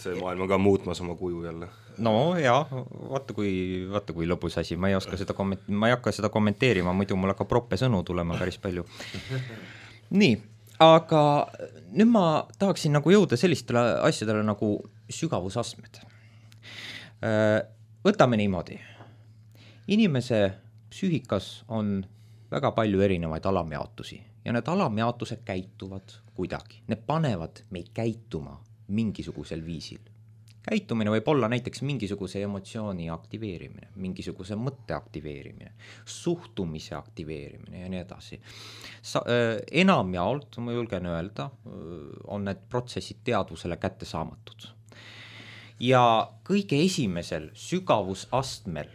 See maailm on ka muutmas oma kuju jälle. No jaa, vaata kui, vaata kui lõbus asi, ma ei oska seda komment-, ma ei hakka seda kommenteerima, muidu mul hakkab proppe sõnu tulema päris palju. Nii, aga nüüd ma tahaksin nagu jõuda sellistele asjadele nagu sügavusastmed. Võtame niimoodi. Inimese psüühikas on väga palju erinevaid alamjaotusi ja need alamjaotused käituvad kuidagi. Need panevad meid käituma mingisugusel viisil. Käitumine võib olla näiteks mingisuguse emotsiooni aktiveerimine, mingisuguse mõtte aktiveerimine, suhtumise aktiveerimine ja nii edasi. Sa, äh, enamjaolt, ma julgen öelda, on need protsessid teadvusele kätte saamatud. Ja kõige esimesel sügavusastmel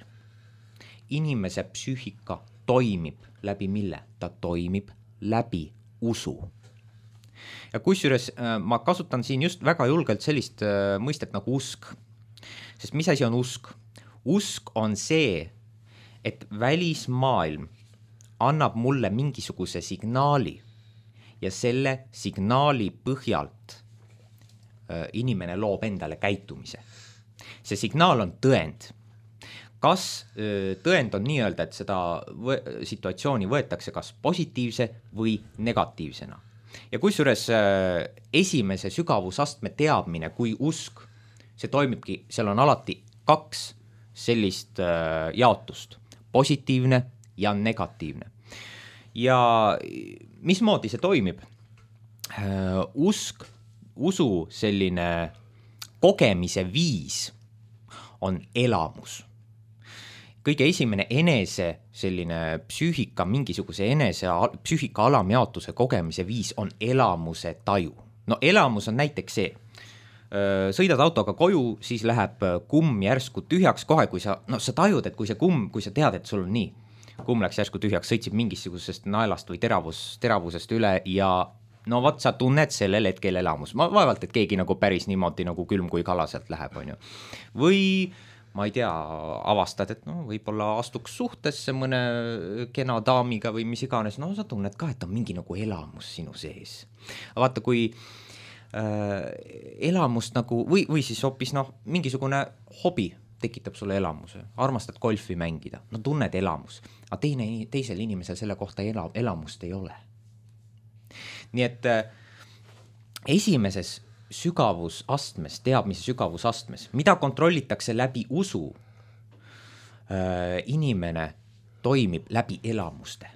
inimese psüühika toimib läbi mille? Ta toimib läbi usu. Ja kusjuures ma kasutan siin just väga julgelt sellist mõistet nagu usk. Sest mis asi on usk? Usk on see, et välismaailm annab mulle mingisuguse signaali ja selle signaali põhjalt inimene loob endale käitumise. See signaal on tõend. Kas tõend on nii öelda, et seda võ- situatsiooni võetakse kas positiivse või negatiivsena? Ja kusjuures esimese sügavusastme teadmine kui usk, see toimibki, seal on alati kaks sellist jaotust, positiivne ja negatiivne. Ja mismoodi see toimib? Usk usu selline kogemise viis on elamus. Kõige esimene enese selline psüühika, mingisuguse enese psüühika alamjaotuse kogemise viis on elamuse taju. No elamus on näiteks see, sõidad autoga koju, siis läheb kumm järsku tühjaks kohe, kui sa, no sa tajud, et kui see kumm, kui sa tead, et sul on nii, kumm läks järsku tühjaks, sõitsib mingisugusest naelast või teravus, teravusest üle ja no vot, sa tunned sellel hetkel elamus. Ma vaevalt, et keegi nagu päris niimoodi nagu külm kui kala sealt läheb, on ju. Või ma ei tea, avastad, et no võib-olla astuks suhtesse mõne kena daamiga või mis iganes, no sa tunned ka, et on mingi nagu elamus sinu sees. Vaata, kui äh, elamust nagu, või, või siis hoopis noh, mingisugune hobi tekitab sulle elamuse, armastad golfi mängida, no tunned elamus, aga teine, teisel inimesel selle kohta ela, elamust ei ole. Nii et äh, esimeses sügavusastmes, teadmise sügavusastmes, mida kontrollitakse läbi usu, äh, inimene toimib läbi elamuste.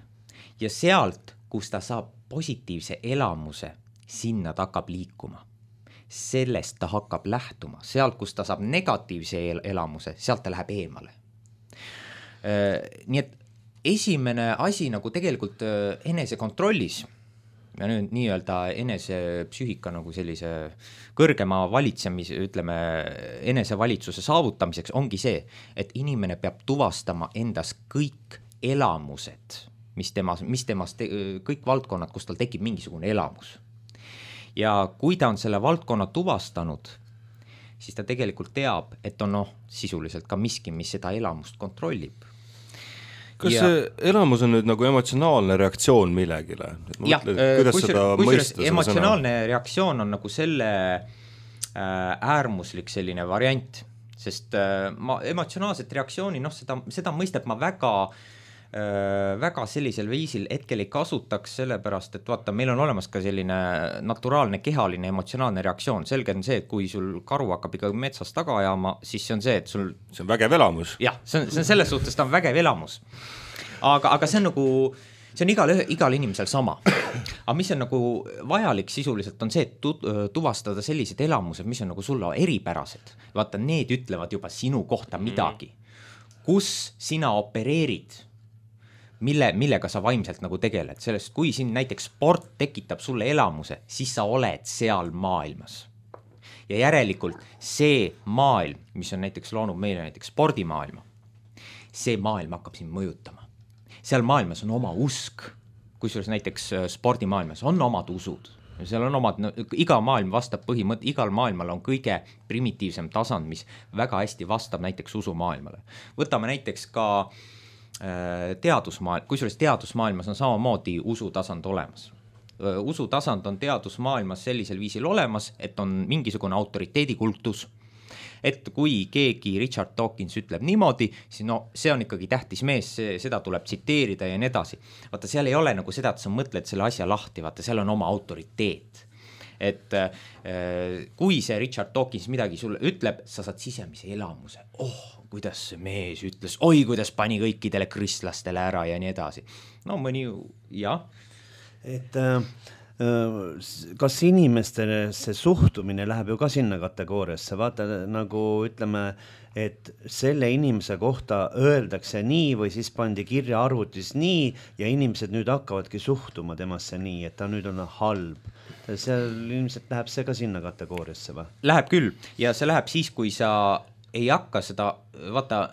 Ja sealt, kus ta saab positiivse elamuse, sinna ta hakkab liikuma. Sellest ta hakkab lähtuma. Sealt, kus ta saab negatiivse el- elamuse, sealt ta läheb eemale. Äh, nii et esimene asi nagu tegelikult äh, enese kontrollis, ja nüüd nii-öelda enese psüühika nagu sellise kõrgema valitsemise, ütleme, enese valitsuse saavutamiseks ongi see, et inimene peab tuvastama endas kõik elamused, mis temas, mis temas te, kõik valdkonnad, kus tal tekib mingisugune elamus. Ja kui ta on selle valdkonna tuvastanud, siis ta tegelikult teab, et on noh, sisuliselt ka miski, mis seda elamust kontrollib. Kas ja, see elamus on nüüd nagu emotsionaalne reaktsioon millegile? Jah, kusjuures emotsionaalne sõna? Reaktsioon on nagu selle äh, äärmuslik selline variant, sest äh, ma emotsionaalset reaktsiooni, noh, seda, seda mõistet ma väga, äh, väga sellisel viisil hetkel ei kasutaks, sellepärast, et vaata, meil on olemas ka selline naturaalne kehaline emotsionaalne reaktsioon. Selge on see, et kui sul karu hakkab ikka metsas taga ajama, siis see on see, et sul... See on vägev elamus. Jah, see on, see on selles suhtes, ta on vägev elamus. Aga, aga see on nagu, see on igal, igal inimesel sama. Aga mis on nagu vajalik sisuliselt on see, et tu, tuvastada sellised elamused, mis on nagu sulle eripärased. Vaata, need ütlevad juba sinu kohta midagi. Kus sina opereerid, mille, millega sa vaimselt nagu tegeled. Sellest, kui siin näiteks sport tekitab sulle elamuse, siis sa oled seal maailmas. Ja järelikult see maailm, mis on näiteks loonud meile näiteks spordimaailma, see maailm hakkab sind mõjutama. Seal maailmas on oma usk, kusjuures näiteks spordimaailmas on omad usud. Seal on omad, no, iga maailm vastab põhimõte, igal maailmal on kõige primitiivsem tasand, mis väga hästi vastab näiteks usumaailmale. Võtame näiteks ka äh, teadusmaailm, kusjuures teadusmaailmas on samamoodi usutasand olemas. Usutasand on teadusmaailmas sellisel viisil olemas, et on mingisugune autoriteedikultus, et kui keegi Richard Dawkins ütleb niimoodi, siis no see on ikkagi tähtis mees, see, seda tuleb tsiteerida ja nii edasi. Vaata, seal ei ole nagu seda, et sa mõtled selle asja lahti, vaata, seal on oma autoriteet. Et äh, kui see Richard Dawkins midagi sulle ütleb, sa saad sisemise elamuse. Oh, kuidas see mees ütles, oi, kuidas pani kõikidele kristlastele ära ja nii edasi. No mõni, jah. Et... Äh... kas inimestele see suhtumine läheb ju ka sinna kategooriasse, vaata nagu ütleme, et selle inimese kohta öeldakse nii või siis pandi kirja arvutis nii ja inimesed nüüd hakkavadki suhtuma temasse nii, et ta nüüd on halb. Seal ilmselt läheb see ka sinna kategooriasse või? Läheb küll ja see läheb siis, kui sa ei hakka seda, vaata,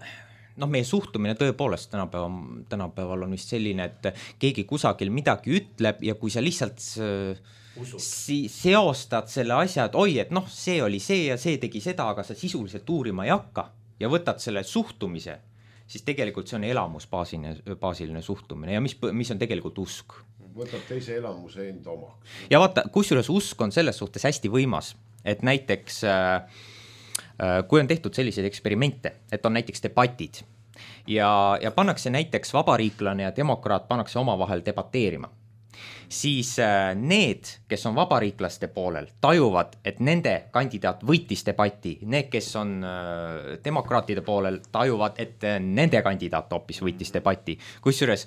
noh, meie suhtumine tõepoolest tänapäeval, tänapäeval on vist selline, et keegi kusagil midagi ütleb ja kui sa lihtsalt si- seostad selle asja, et oi, et noh, see oli see ja see tegi seda, aga sa sisuliselt uurima ei hakka ja võtad selle suhtumise, siis tegelikult see on elamusbaasiline, baasiline suhtumine ja mis, mis on tegelikult usk. Võtab teise elamuse enda omaks. Ja vaata, kusjuures usk on selles suhtes hästi võimas, et näiteks... Äh, kui on tehtud selliseid eksperimente, et on näiteks debatid ja, ja pannakse näiteks vabariiklane ja demokraat pannakse omavahel debateerima. siis need, kes on vabariiklaste poolel, tajuvad, et nende kandidaat võitis debati, need, kes on demokraatide poolel, tajuvad, et nende kandidaat hoopis võitis debati. Kusjuures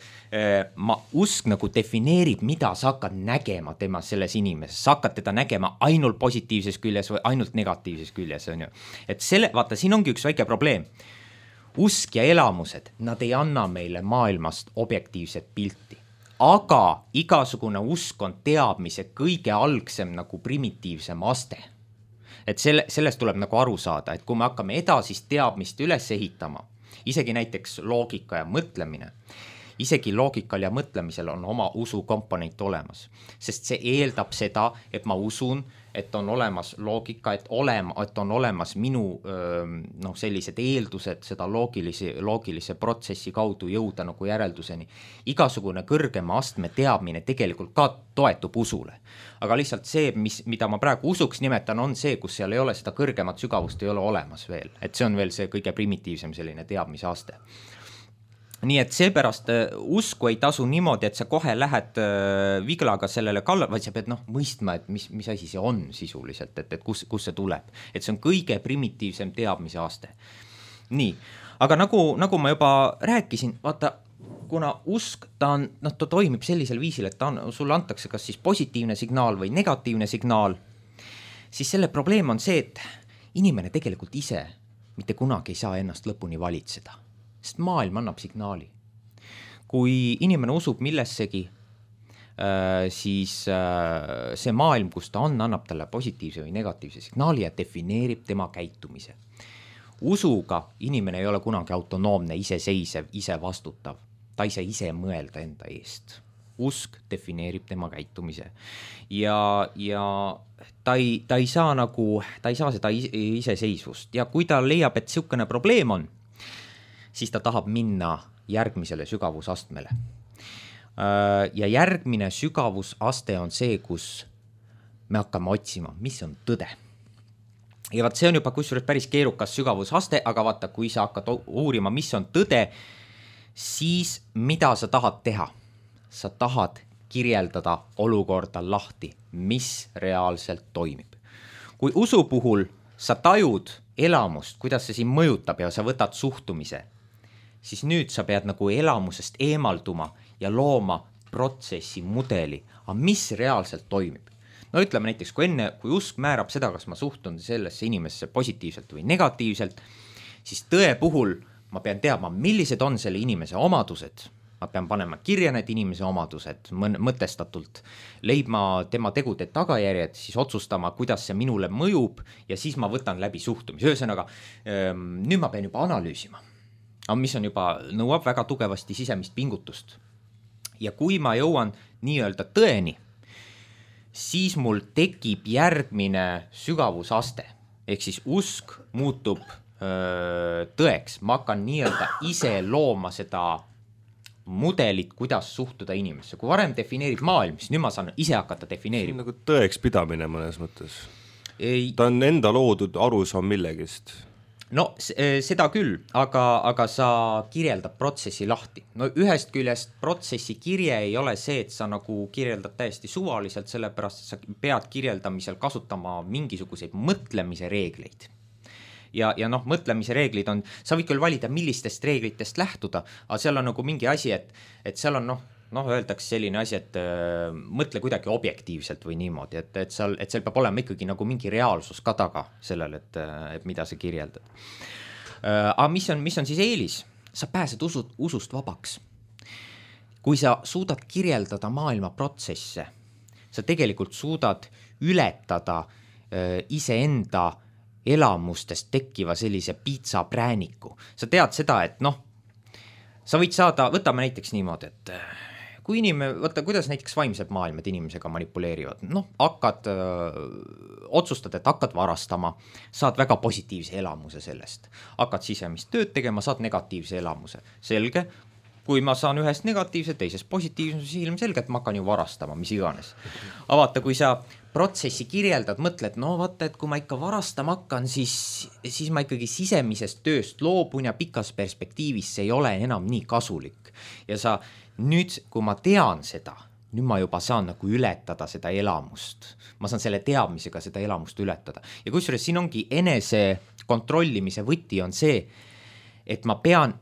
ma usk nagu defineerib, mida sa hakkad nägema tema selles inimeses, sa hakkad teda nägema ainult positiivses küljes või ainult negatiivses küljes, on ju. Et selle, vaata, siin ongi üks väike probleem. Usk ja elamused, nad ei anna meile maailmast objektiivset pilti. Aga igasugune usk on teadmise kõige algsem nagu primitiivsem aste. Et selle, sellest tuleb nagu aru saada, et kui me hakkame edasist teadmist üles ehitama, isegi näiteks loogika ja mõtlemine, isegi loogikal ja mõtlemisel on oma usu komponent olemas, sest see eeldab seda, et ma usun, et on olemas loogika, et, olema, et on olemas minu noh, sellised eeldused seda loogilise, loogilise protsessi kaudu jõuda nagu järelduseni. Igasugune kõrgema astme teadmine tegelikult ka toetub usule. Aga lihtsalt see, mis, mida ma praegu usuks nimetan, on see, kus seal ei ole seda kõrgemat sügavust, ei ole olemas veel. Et see on veel see kõige primitiivsem selline teadmise aste. Nii et seepärast usku ei tasu niimoodi, et sa kohe lähed viglaga sellele kallal, vaid sa pead noh, mõistma, et mis, mis asi see on sisuliselt, et, et kus, kus see tuleb. Et see on kõige primitiivsem teadmise aste. Nii, aga nagu, nagu ma juba rääkisin, vaata, kuna usk, ta, on, noh, ta toimib sellisel viisil, et ta on, sulle antakse kas siis positiivne signaal või negatiivne signaal, siis selle probleem on see, et inimene tegelikult ise mitte kunagi ei saa ennast lõpuni valitseda. Sest maailm annab signaali. Kui inimene usub millessegi, siis see maailm, kus ta on, annab talle positiivse või negatiivse signaali ja defineerib tema käitumise. Usuga inimene ei ole kunagi autonoomne, iseseisev, ise vastutav. Ta ei saa ise mõelda enda eest. Usk defineerib tema käitumise. Ja, ja ta, ei, ta, ei saa nagu, ta ei saa seda iseseisvust. Ja kui ta leiab, et siukene probleem on, siis ta tahab minna järgmisele sügavusastmele. Ja järgmine sügavusaste on see, kus me hakkame otsima, mis on tõde. Ja vaat see on juba kusjuures päris keerukas sügavusaste, aga vaata, kui sa hakkad uurima, mis on tõde, siis mida sa tahad teha? Sa tahad kirjeldada olukorda lahti, mis reaalselt toimib. Kui usu puhul sa tajud elamust, kuidas see siin mõjutab ja sa võtad suhtumise, siis nüüd sa pead nagu elamusest eemalduma ja looma protsessi mudeli, aga mis reaalselt toimib. No ütleme näiteks, kui enne, kui usk määrab seda, kas ma suhtun sellesse inimesse positiivselt või negatiivselt, siis tõe puhul ma pean teadma, millised on selle inimese omadused. Ma pean panema kirja need inimese omadused mõtestatult, leidma tema tegude tagajärjed, siis otsustama, kuidas see minule mõjub ja siis ma võtan läbi suhtumise. Ühesõnaga, nüüd ma pean juba analüüsima. Aga mis on juba, nõuab väga tugevasti sisemist pingutust. Ja kui ma jõuan nii-öelda tõeni, siis mul tekib järgmine sügavusaste. Ehk siis usk muutub öö, tõeks. Ma hakkan nii-öelda ise looma seda mudelit, kuidas suhtuda inimesse. Kui varem defineerib maailm, siis nüüd ma saan ise hakata defineerima. Nagu tõeks pidamine mõnes mõttes. Ei... Ta on enda loodud arusaam millegist. No seda küll, aga, aga sa kirjeldad protsessi lahti. No ühest küljest protsessi kirje ei ole see, et sa nagu kirjeldad täiesti suvaliselt, sellepärast, et sa pead kirjeldamisel kasutama mingisuguseid mõtlemise reegleid. Ja, ja noh, mõtlemise reeglid on, sa võid küll valida, millistest reeglitest lähtuda, aga seal on nagu mingi asi, et, et seal on noh, noh, öeldakse selline asi, et äh, mõtle kuidagi objektiivselt või niimoodi, et, et, seal, et seal peab olema ikkagi nagu mingi reaalsus ka taga sellele, et, et mida sa kirjeldad. Äh, aga mis on, mis on siis eelis? Sa pääsed usud, usust vabaks. Kui sa suudad kirjeldada maailma protsesse, sa tegelikult suudad ületada äh, iseenda elamustest tekkiva sellise piitsa prääniku. Sa tead seda, et noh, sa võid saada, võtame näiteks niimoodi, et kui inimene, võtta, kuidas näiteks vaimsed maailmad inimesega manipuleerivad, noh, hakkad, öö, otsustad, et hakkad varastama, saad väga positiivse elamuse sellest, hakkad sisemist tööd tegema, saad negatiivse elamuse, selge, kui ma saan ühest negatiivse, teisest positiivse, siis ilmselge, et ma hakkan ju varastama, mis iganes. Aga vaata, kui sa protsessi kirjeldad, mõtled, no vaata, et kui ma ikka varastama hakkan, siis, siis ma ikkagi sisemisest tööst loobun ja pikas perspektiivis see ei ole enam nii kasulik. Ja sa nüüd, kui ma tean seda, nüüd ma juba saan nagu ületada seda elamust, ma saan selle teadmisega seda elamust ületada. Ja kusjuures siin ongi enese kontrollimise võti on see, et ma pean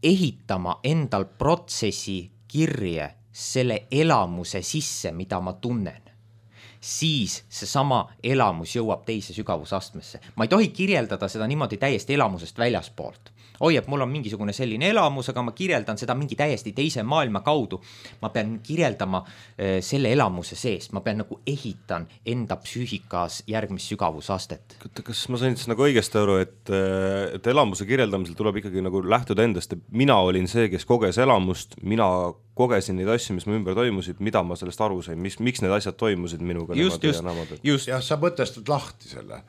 ehitama endal protsessi kirje selle elamuse sisse, mida ma tunnen. Siis see sama elamus jõuab teise sügavusastmesse. Ma ei tohi kirjeldada seda niimoodi täiesti elamusest väljaspoolt. Oi, et mul on mingisugune selline elamus, aga ma kirjeldan seda mingi täiesti teise maailma kaudu. Ma pean kirjeldama äh, selle elamuse seest, ma pean nagu ehitan enda psüühikas järgmist sügavusastet. Kas ma sain siis nagu õigesti aru, et, et elamuse kirjeldamisel tuleb ikkagi nagu lähtuda endast, et mina olin see, kes koges elamust, mina kogesin neid asju, mis mu ümber toimusid, mida ma sellest aru sain, mis, miks need asjad toimusid minuga. Just, just, just. Ja sa mõtestad lahti selle.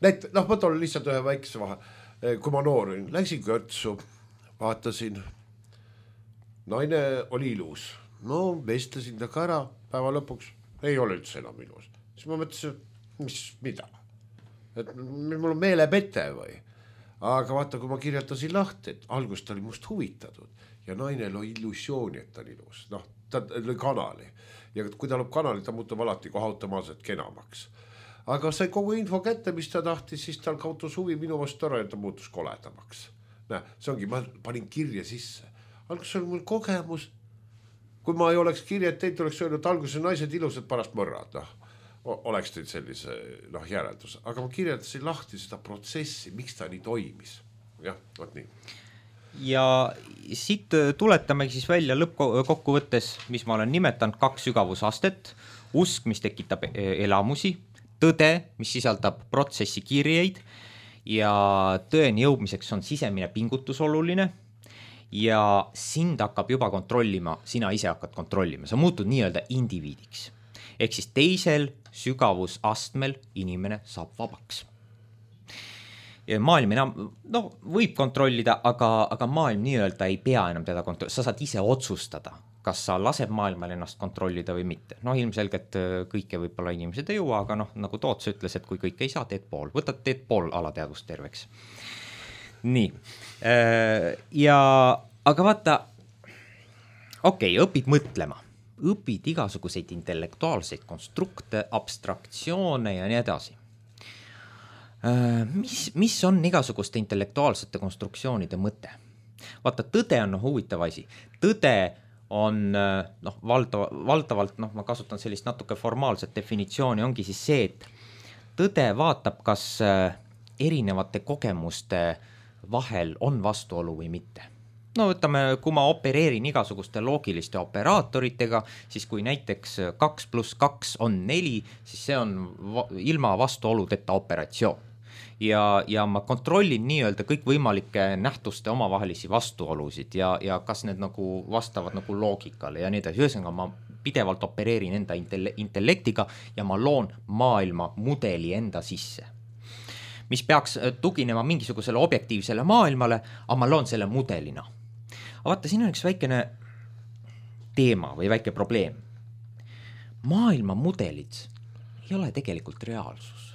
Näit, noh, ma toon lihtsalt ühe väikse vahe. Kui ma noor olin, läksin kõrtsu, vaatasin, naine oli ilus. No vestlesin ta ka ära, päeva lõpuks ei ole üldse enam ilus. Siis ma mõtlesin, mis, mida? Et mul on meelepete või? Aga vaata, kui ma kirjeldasin lahti, et algust ta oli must huvitatud ja naine lõi illusiooni, et ta on ilus. Noh, ta lõi kanali. Ja kui ta lõi kanali, ta muutub alati kohe automaatselt kenamaks. Aga sai kogu info kätte, mis ta tahtis, siis tal kautus huvi minu vastu ära, et ta muutus koledamaks. Näe, see ongi, ma panin kirja sisse. Algus oli mul kogemus. Kui ma ei oleks kirjad teinud, oleks öelnud, et alguses naised ilusad parast mõrrad. No, oleks teid sellise noh, järeldus. Aga ma kirjeldasin lahti seda protsessi, miks ta nii toimis. Jah, võt nii. Ja siit tuletamegi siis välja lõppkokkuvõttes, mis ma olen nimetanud, kaks sügavusastet, usk, mis tekitab elamusi, tõde, mis sisaldab protsessi kirjeid ja tõeni jõudmiseks on sisemine pingutus oluline ja sind hakkab juba kontrollima, sina ise hakkad kontrollima, sa muutud nii-öelda indiviidiks. Ehk siis teisel sügavusastmel inimene saab vabaks. Ja maailm enam, no võib kontrollida, aga, aga maailm nii-öelda ei pea enam teda kontrollida, sa saad ise otsustada, kas sa laseb maailmal ennast kontrollida või mitte. No ilmselgelt kõike võib-olla inimesed ei jõua, aga noh, nagu Toots ütles, et kui kõik ei saa, teed pool. Võtad, teed pool alateadvust terveks. Nii. Ja, aga vaata, okei, okay, õpid mõtlema. Õpid igasuguseid intellektuaalseid konstrukte, abstraktsioone ja nii edasi. Mis, mis on igasuguste intellektuaalsete konstruktsioonide mõte? Vaata, tõde on huvitav asi. Tõde on noh, valdav, valdavalt, noh, ma kasutan sellist natuke formaalset definitsiooni, ongi siis see, et tõde vaatab, kas erinevate kogemuste vahel on vastuolu või mitte. No võtame, kui ma opereerin igasuguste loogiliste operaatoritega, siis kui näiteks kaks pluss kaks on neli, siis see on va- ilma vastuoludeta operatsioon. Ja, ja ma kontrollin nii-öelda kõik võimalike nähtuste omavahelisi vastuolusid ja, ja kas need nagu vastavad nagu loogikale ja nii edasi. Ühesõnaga ma pidevalt opereerin enda intellektiga ja ma loon maailma mudeli enda sisse, mis peaks tuginema mingisugusele objektiivsele maailmale, aga ma loon selle mudelina. Aga vaata, siin on üks väikene teema või väike probleem. Maailma mudelid ei ole tegelikult reaalsus.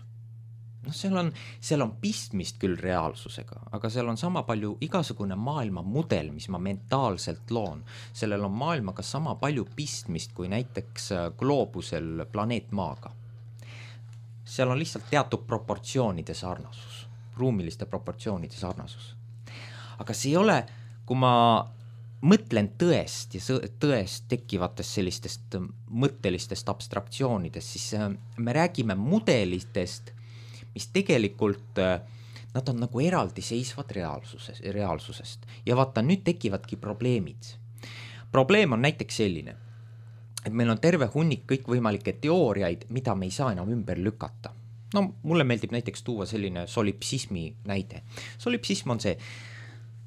No seal on, seal on pistmist küll reaalsusega, aga seal on sama palju igasugune maailma mudel, mis ma mentaalselt loon. Sellel on maailmaga sama palju pistmist kui näiteks gloobusel planeet Maaga. Seal on lihtsalt teatud proportsioonide sarnasus, ruumiliste proportsioonide sarnasus. Aga see ei ole, kui ma mõtlen tõest ja tõest tekkivatest sellistest mõttelistest abstraktsioonidest, siis me räägime mudelitest, mis tegelikult, nad on nagu eraldi seisvad reaalsuses, reaalsusest. Ja vaata, nüüd tekivadki probleemid. Probleem on näiteks selline, et meil on terve hunnik kõikvõimalikke teooriaid, mida me ei saa enam ümber lükata. No mulle meeldib näiteks tuua selline solipsismi näide. Solipsism on see,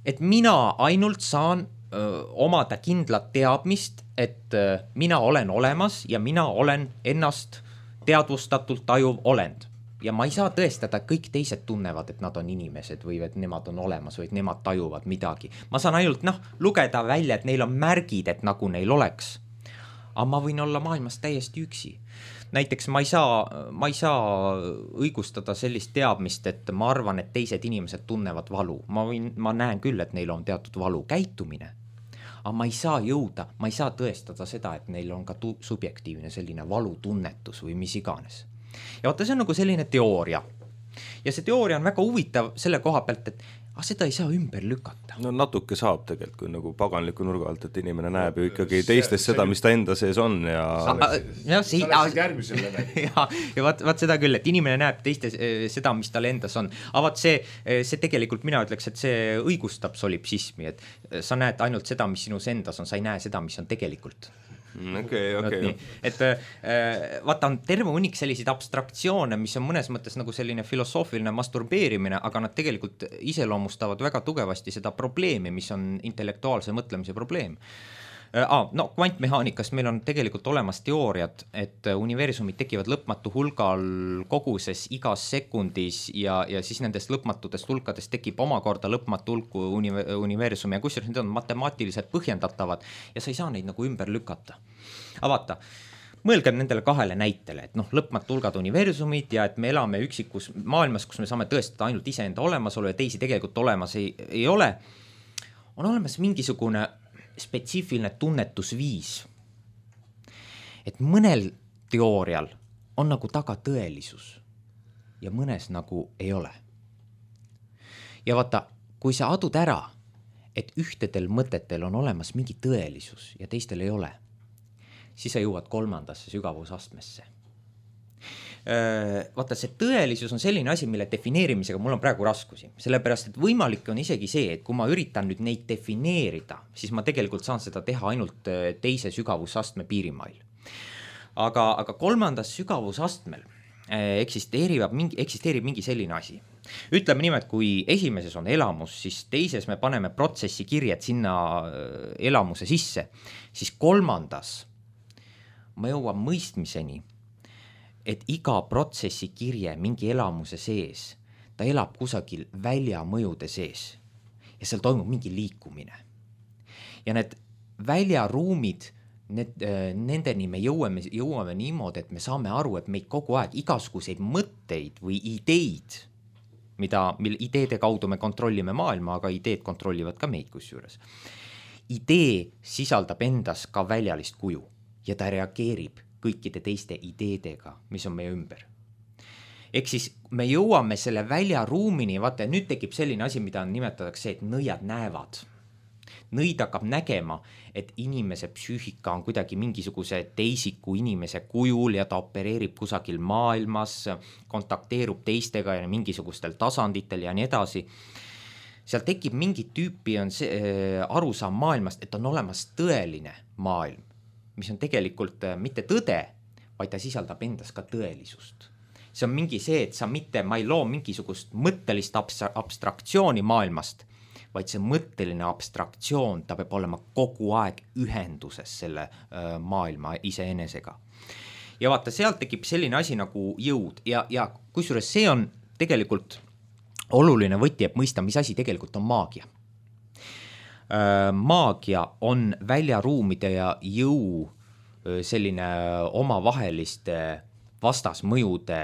et mina ainult saan öö, omada kindlat teadmist, et öö, mina olen olemas ja mina olen ennast teadvustatult tajuv olend. Ja ma ei saa tõestada, et kõik teised tunnevad, et nad on inimesed või et nemad on olemas või et nemad tajuvad midagi. Ma saan ainult noh, lugeda välja, et neil on märgid, et nagu neil oleks. Aga ma võin olla maailmas täiesti üksi. Näiteks ma ei saa, ma ei saa õigustada sellist teadmist, et ma arvan, et teised inimesed tunnevad valu. Ma, võin, ma näen küll, et neil on teatud valu käitumine. aga ma ei saa jõuda, ma ei saa tõestada seda, et neil on ka tu- subjektiivne selline valutunnetus või mis iganes. Ja vaata, see on nagu selline teooria. Ja see teooria on väga huvitav selle koha pealt, et aga seda ei saa ümber lükata. No natuke saab tegelikult, kui nagu paganliku nurga alt, et inimene näeb ju ikkagi teistes see, seda, mis ta enda sees on ja... ja see, sa läksid järgmisele ja, ja vaat, vaat seda küll, et inimene näeb teistes seda, mis tal endas on. Aga vaat see, see tegelikult mina ütleks, et see õigustab solipsismi, et sa näed ainult seda, mis sinus endas on, sa ei näe seda, mis on tegelikult. Okei, okei. Et vaata, on terve hunnik selliseid abstraktsioone, mis on mõnes mõttes nagu selline filosoofiline masturbeerimine, aga nad tegelikult iseloomustavad väga tugevasti seda probleemi, mis on intellektuaalse mõtlemise probleem. Ah, no kvantmehaanikast meil on tegelikult olemas teooriad, et universumid tekivad lõpmatu hulgal koguses igas sekundis ja, ja siis nendest lõpmatutest hulkadest tekib omakorda lõpmatu hulku universumi ja kusjuures need on matemaatiliselt põhjendatavad ja sa ei saa neid nagu ümber lükata. Aga vaata, mõelgem nendele kahele näitele, et noh, lõpmatu hulgad universumid ja et me elame üksikus maailmas, kus me saame tõestada ainult iseenda olemasolu ja teisi tegelikult olemas ei, ei ole, on olemas mingisugune spetsiifiline tunnetusviis, et mõnel teoorial on nagu taga tõelisus ja mõnes nagu ei ole. Ja vaata, kui sa adud ära, et ühtedel mõtetel on olemas mingi tõelisus ja teistel ei ole, siis sa jõuad kolmandasse sügavusastmesse. Vaata, see tõelisus on selline asi, mille defineerimisega mul on praegu raskusi, sellepärast et võimalik on isegi see, et kui ma üritan nüüd neid defineerida, siis ma tegelikult saan seda teha ainult teise sügavusastme piirimail. Aga, aga kolmandas sügavusastmel eksisteerib mingi, eksisteerib mingi selline asi. Ütleme nimelt, kui esimeses on elamus, siis teises me paneme protsessi kirjed sinna elamuse sisse, siis kolmandas ma jõuan mõistmiseni, et iga protsessi kirje mingi elamuse sees, ta elab kusagil väljamõjude sees ja seal toimub mingi liikumine. Ja need väljaruumid, need, nendeni me jõuame, jõuame niimoodi, et me saame aru, et meid kogu aeg igasuguseid mõtteid või ideid, mida, mille ideede kaudu me kontrollime maailma, aga ideed kontrollivad ka meid kusjuures. Idee sisaldab endas ka väljalist kuju ja ta reageerib kõikide teiste ideedega, mis on meie ümber. Ehk siis me jõuame selle väljaruumini, vaata, nüüd tekib selline asi, mida nimetatakse, et nõiad näevad. Nõid hakkab nägema, et inimese psüühika on kuidagi mingisuguse teisiku inimese kujul ja ta opereerib kusagil maailmas, kontakteerub teistega ja mingisugustel tasanditel ja nii edasi. Seal tekib mingi tüüpi on see, äh, arusaam maailmast, et on olemas tõeline maailm, mis on tegelikult mitte tõde, vaid ta sisaldab endas ka tõelisust. See on mingi see, et sa mitte, ma ei loo mingisugust mõttelist abstraktsiooni maailmast, vaid see mõtteline abstraktsioon, ta peab olema kogu aeg ühenduses selle maailma iseenesega. Ja vaata, sealt tekib selline asi nagu jõud ja, ja kusjuures see on tegelikult oluline võti, et mõista, mis asi tegelikult on maagia. Maagia on väljaruumide ja jõu selline omavaheliste vastasmõjude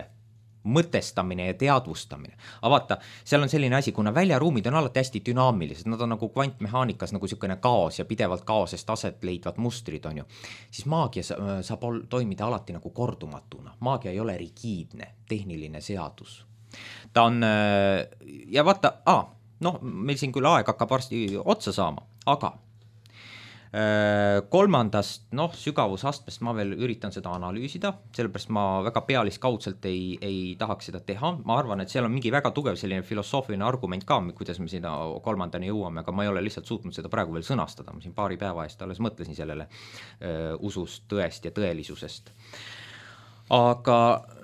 mõtestamine ja teadvustamine. Aga vaata, seal on selline asi, kuna väljaruumid on alati hästi dünaamilised, nad on nagu kvantmehaanikas nagu selline kaos ja pidevalt kaosest aset leidvad mustrid on ju, siis maagia saab toimida alati nagu kordumatuna. Maagia ei ole rigiidne, tehniline seadus. Ta on, ja vaata, aa, noh, meil siin küll aeg hakkab varsti otsa saama, aga kolmandast, noh, sügavusastmest ma veel üritan seda analüüsida, sellepärast ma väga pealiskaudselt ei, ei tahaks seda teha. Ma arvan, et seal on mingi väga tugev selline filosoofiline argument ka, kuidas me sinna kolmandani jõuame, aga ma ei ole lihtsalt suutnud seda praegu veel sõnastada. Ma siin paari päeva eest alles mõtlesin sellele öö, usust, tõest ja tõelisusest. Aga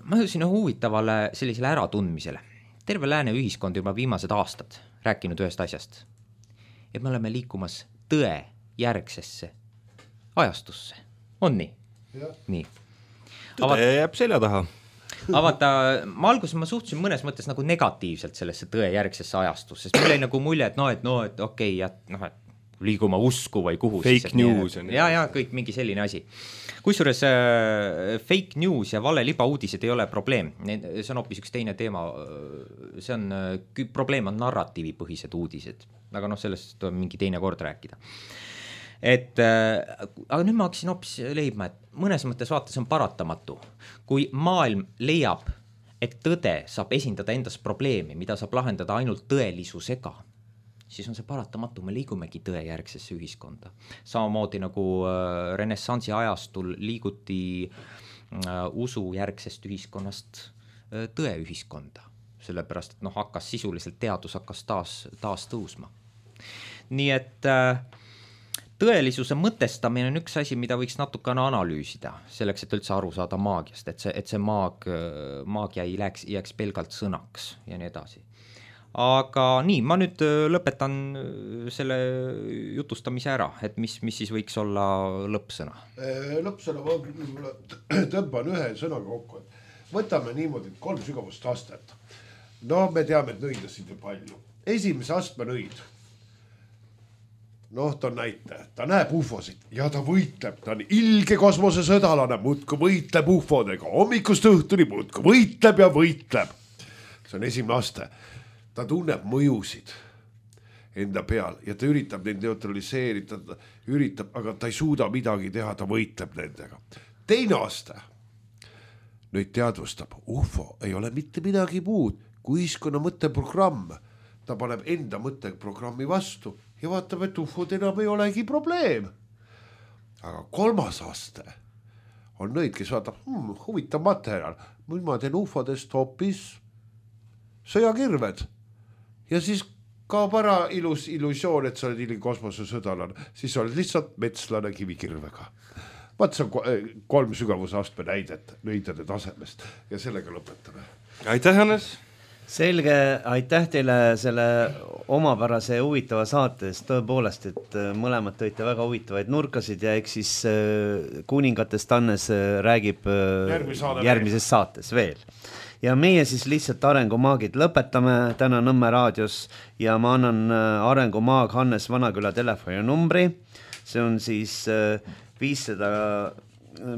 ma jõudsin huvitavale sellisele äratundmisele. Terve lääne ühiskond juba viimased aastad rääkinud ühest asjast, et me oleme liikumas tõe järgsesse ajastusse. On nii? Ja. Nii. Tõde jääb selja taha. Aga vaata, ma alguses ma suhtusin mõnes mõttes nagu negatiivselt sellesse tõe järgsesse ajastusse, sest meil oli nagu mulje, et no, et, no, et okei, okay, et, noh, et liiguma usku või kuhu. Fake siis, news. Et, ja, ja kõik mingi selline asi. Kusjuures äh, fake news ja vale libauudised ei ole probleem. See on hoopis üks teine teema. See on, probleem on narratiivipõhised uudised. Aga noh, sellest on mingi teine kord rääkida. et äh, aga nüüd ma hakkasin hoopis leidma, et mõnes mõttes vaata, see on paratamatu. Kui maailm leiab, et tõde saab esindada endas probleemi, mida saab lahendada ainult tõelisusega, siis on see paratamatu, me liigumegi tõejärgsesse ühiskonda. Samamoodi nagu äh, renessansi ajastul liiguti äh, usujärgsest ühiskonnast äh, tõeühiskonda, sellepärast, et noh, hakkas sisuliselt teadus hakkas taas, taas tõusma. Nii et äh, tõelisuse mõtestamine on üks asi, mida võiks natukene analüüsida, selleks, et üldse aru saada maagiast, et see, et see maag, maagia ei jääks, jääks pelgalt sõnaks ja nii edasi. Aga nii, ma nüüd lõpetan selle jutustamise ära, et mis, mis siis võiks olla lõppsõna? Lõppsõna ma tõmban ühe sõnaga kokku, et võtame niimoodi kolm sügavust astet. No me teame, et nõidasid ju palju. Esimese astme nõid. Noh, ta on näite. Ta näeb ufosid ja ta võitleb. Ta on ilge kosmosesõdalane, muudku võitleb ufodega. Hommikust õhtuni muudku võitleb ja võitleb. See on esimene aste. Ta tunneb mõjusid enda peal ja ta üritab neid neutraliseerida, üritab, aga ta ei suuda midagi teha, ta võitleb nendega. Teine aste nüüd teadvustab, ufo ei ole mitte midagi muud kui ühiskonna mõtteprogramm. Ta paneb enda mõtteprogrammi vastu ja vaatab, et ufod enam ei olegi probleem. Aga kolmas aste on nõid, kes vaatab, hmm, huvitav materjal, nüüd ma teen ufodest hoopis sõjakirved. Ja siis kaob ära ilus illusioon, et sa oled ilgi kosmosesõdalane, siis oled lihtsalt metslane kivikirvega. Vaat see on kolm sügavuse astme näidet nõidade tasemest ja sellega lõpetame. Aitäh, Hannes! Selge, aitäh teile selle omapärase huvitava saates, tõepoolest, et mõlemad tõite väga huvitavaid nurkasid ja eks siis kuningatest Hannes räägib järgmises saates veel. Ja meie siis lihtsalt Arengumaagid lõpetame täna Nõmme raadios ja ma annan Arengumaag Hannes Vanaküla telefoni numbri. See on siis viissada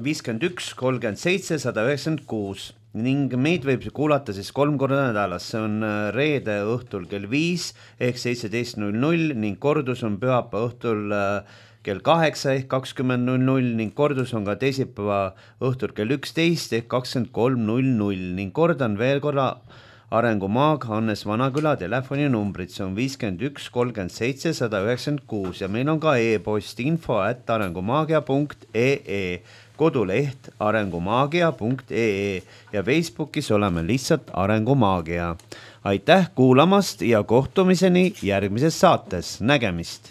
viiskümmend üks kolmkümmend seitse sada üheksakümmend kuus ning meid võib kuulata siis kolm korda nädalas. See on reede õhtul kell viis ehk seitseteist null null ning kordus on pühapäeva õhtul kell kaheksa ehk kakskümmend null null ning kordus on ka teisipäeva õhtul kell üksteist ehk kakskümmend kolm null null ning kordan veel korra Arengumaag Hannes Vanaküla telefoni numbrid, see on viiskümmend üks kolmkümmend seitse sada üheksakümmend kuus ja meil on ka e-post info at arengumaagia punkt ee, koduleht arengumaagia punkt ee ja Facebookis oleme lihtsalt Arengumaagia. Aitäh kuulamast ja kohtumiseni järgmises saates, nägemist!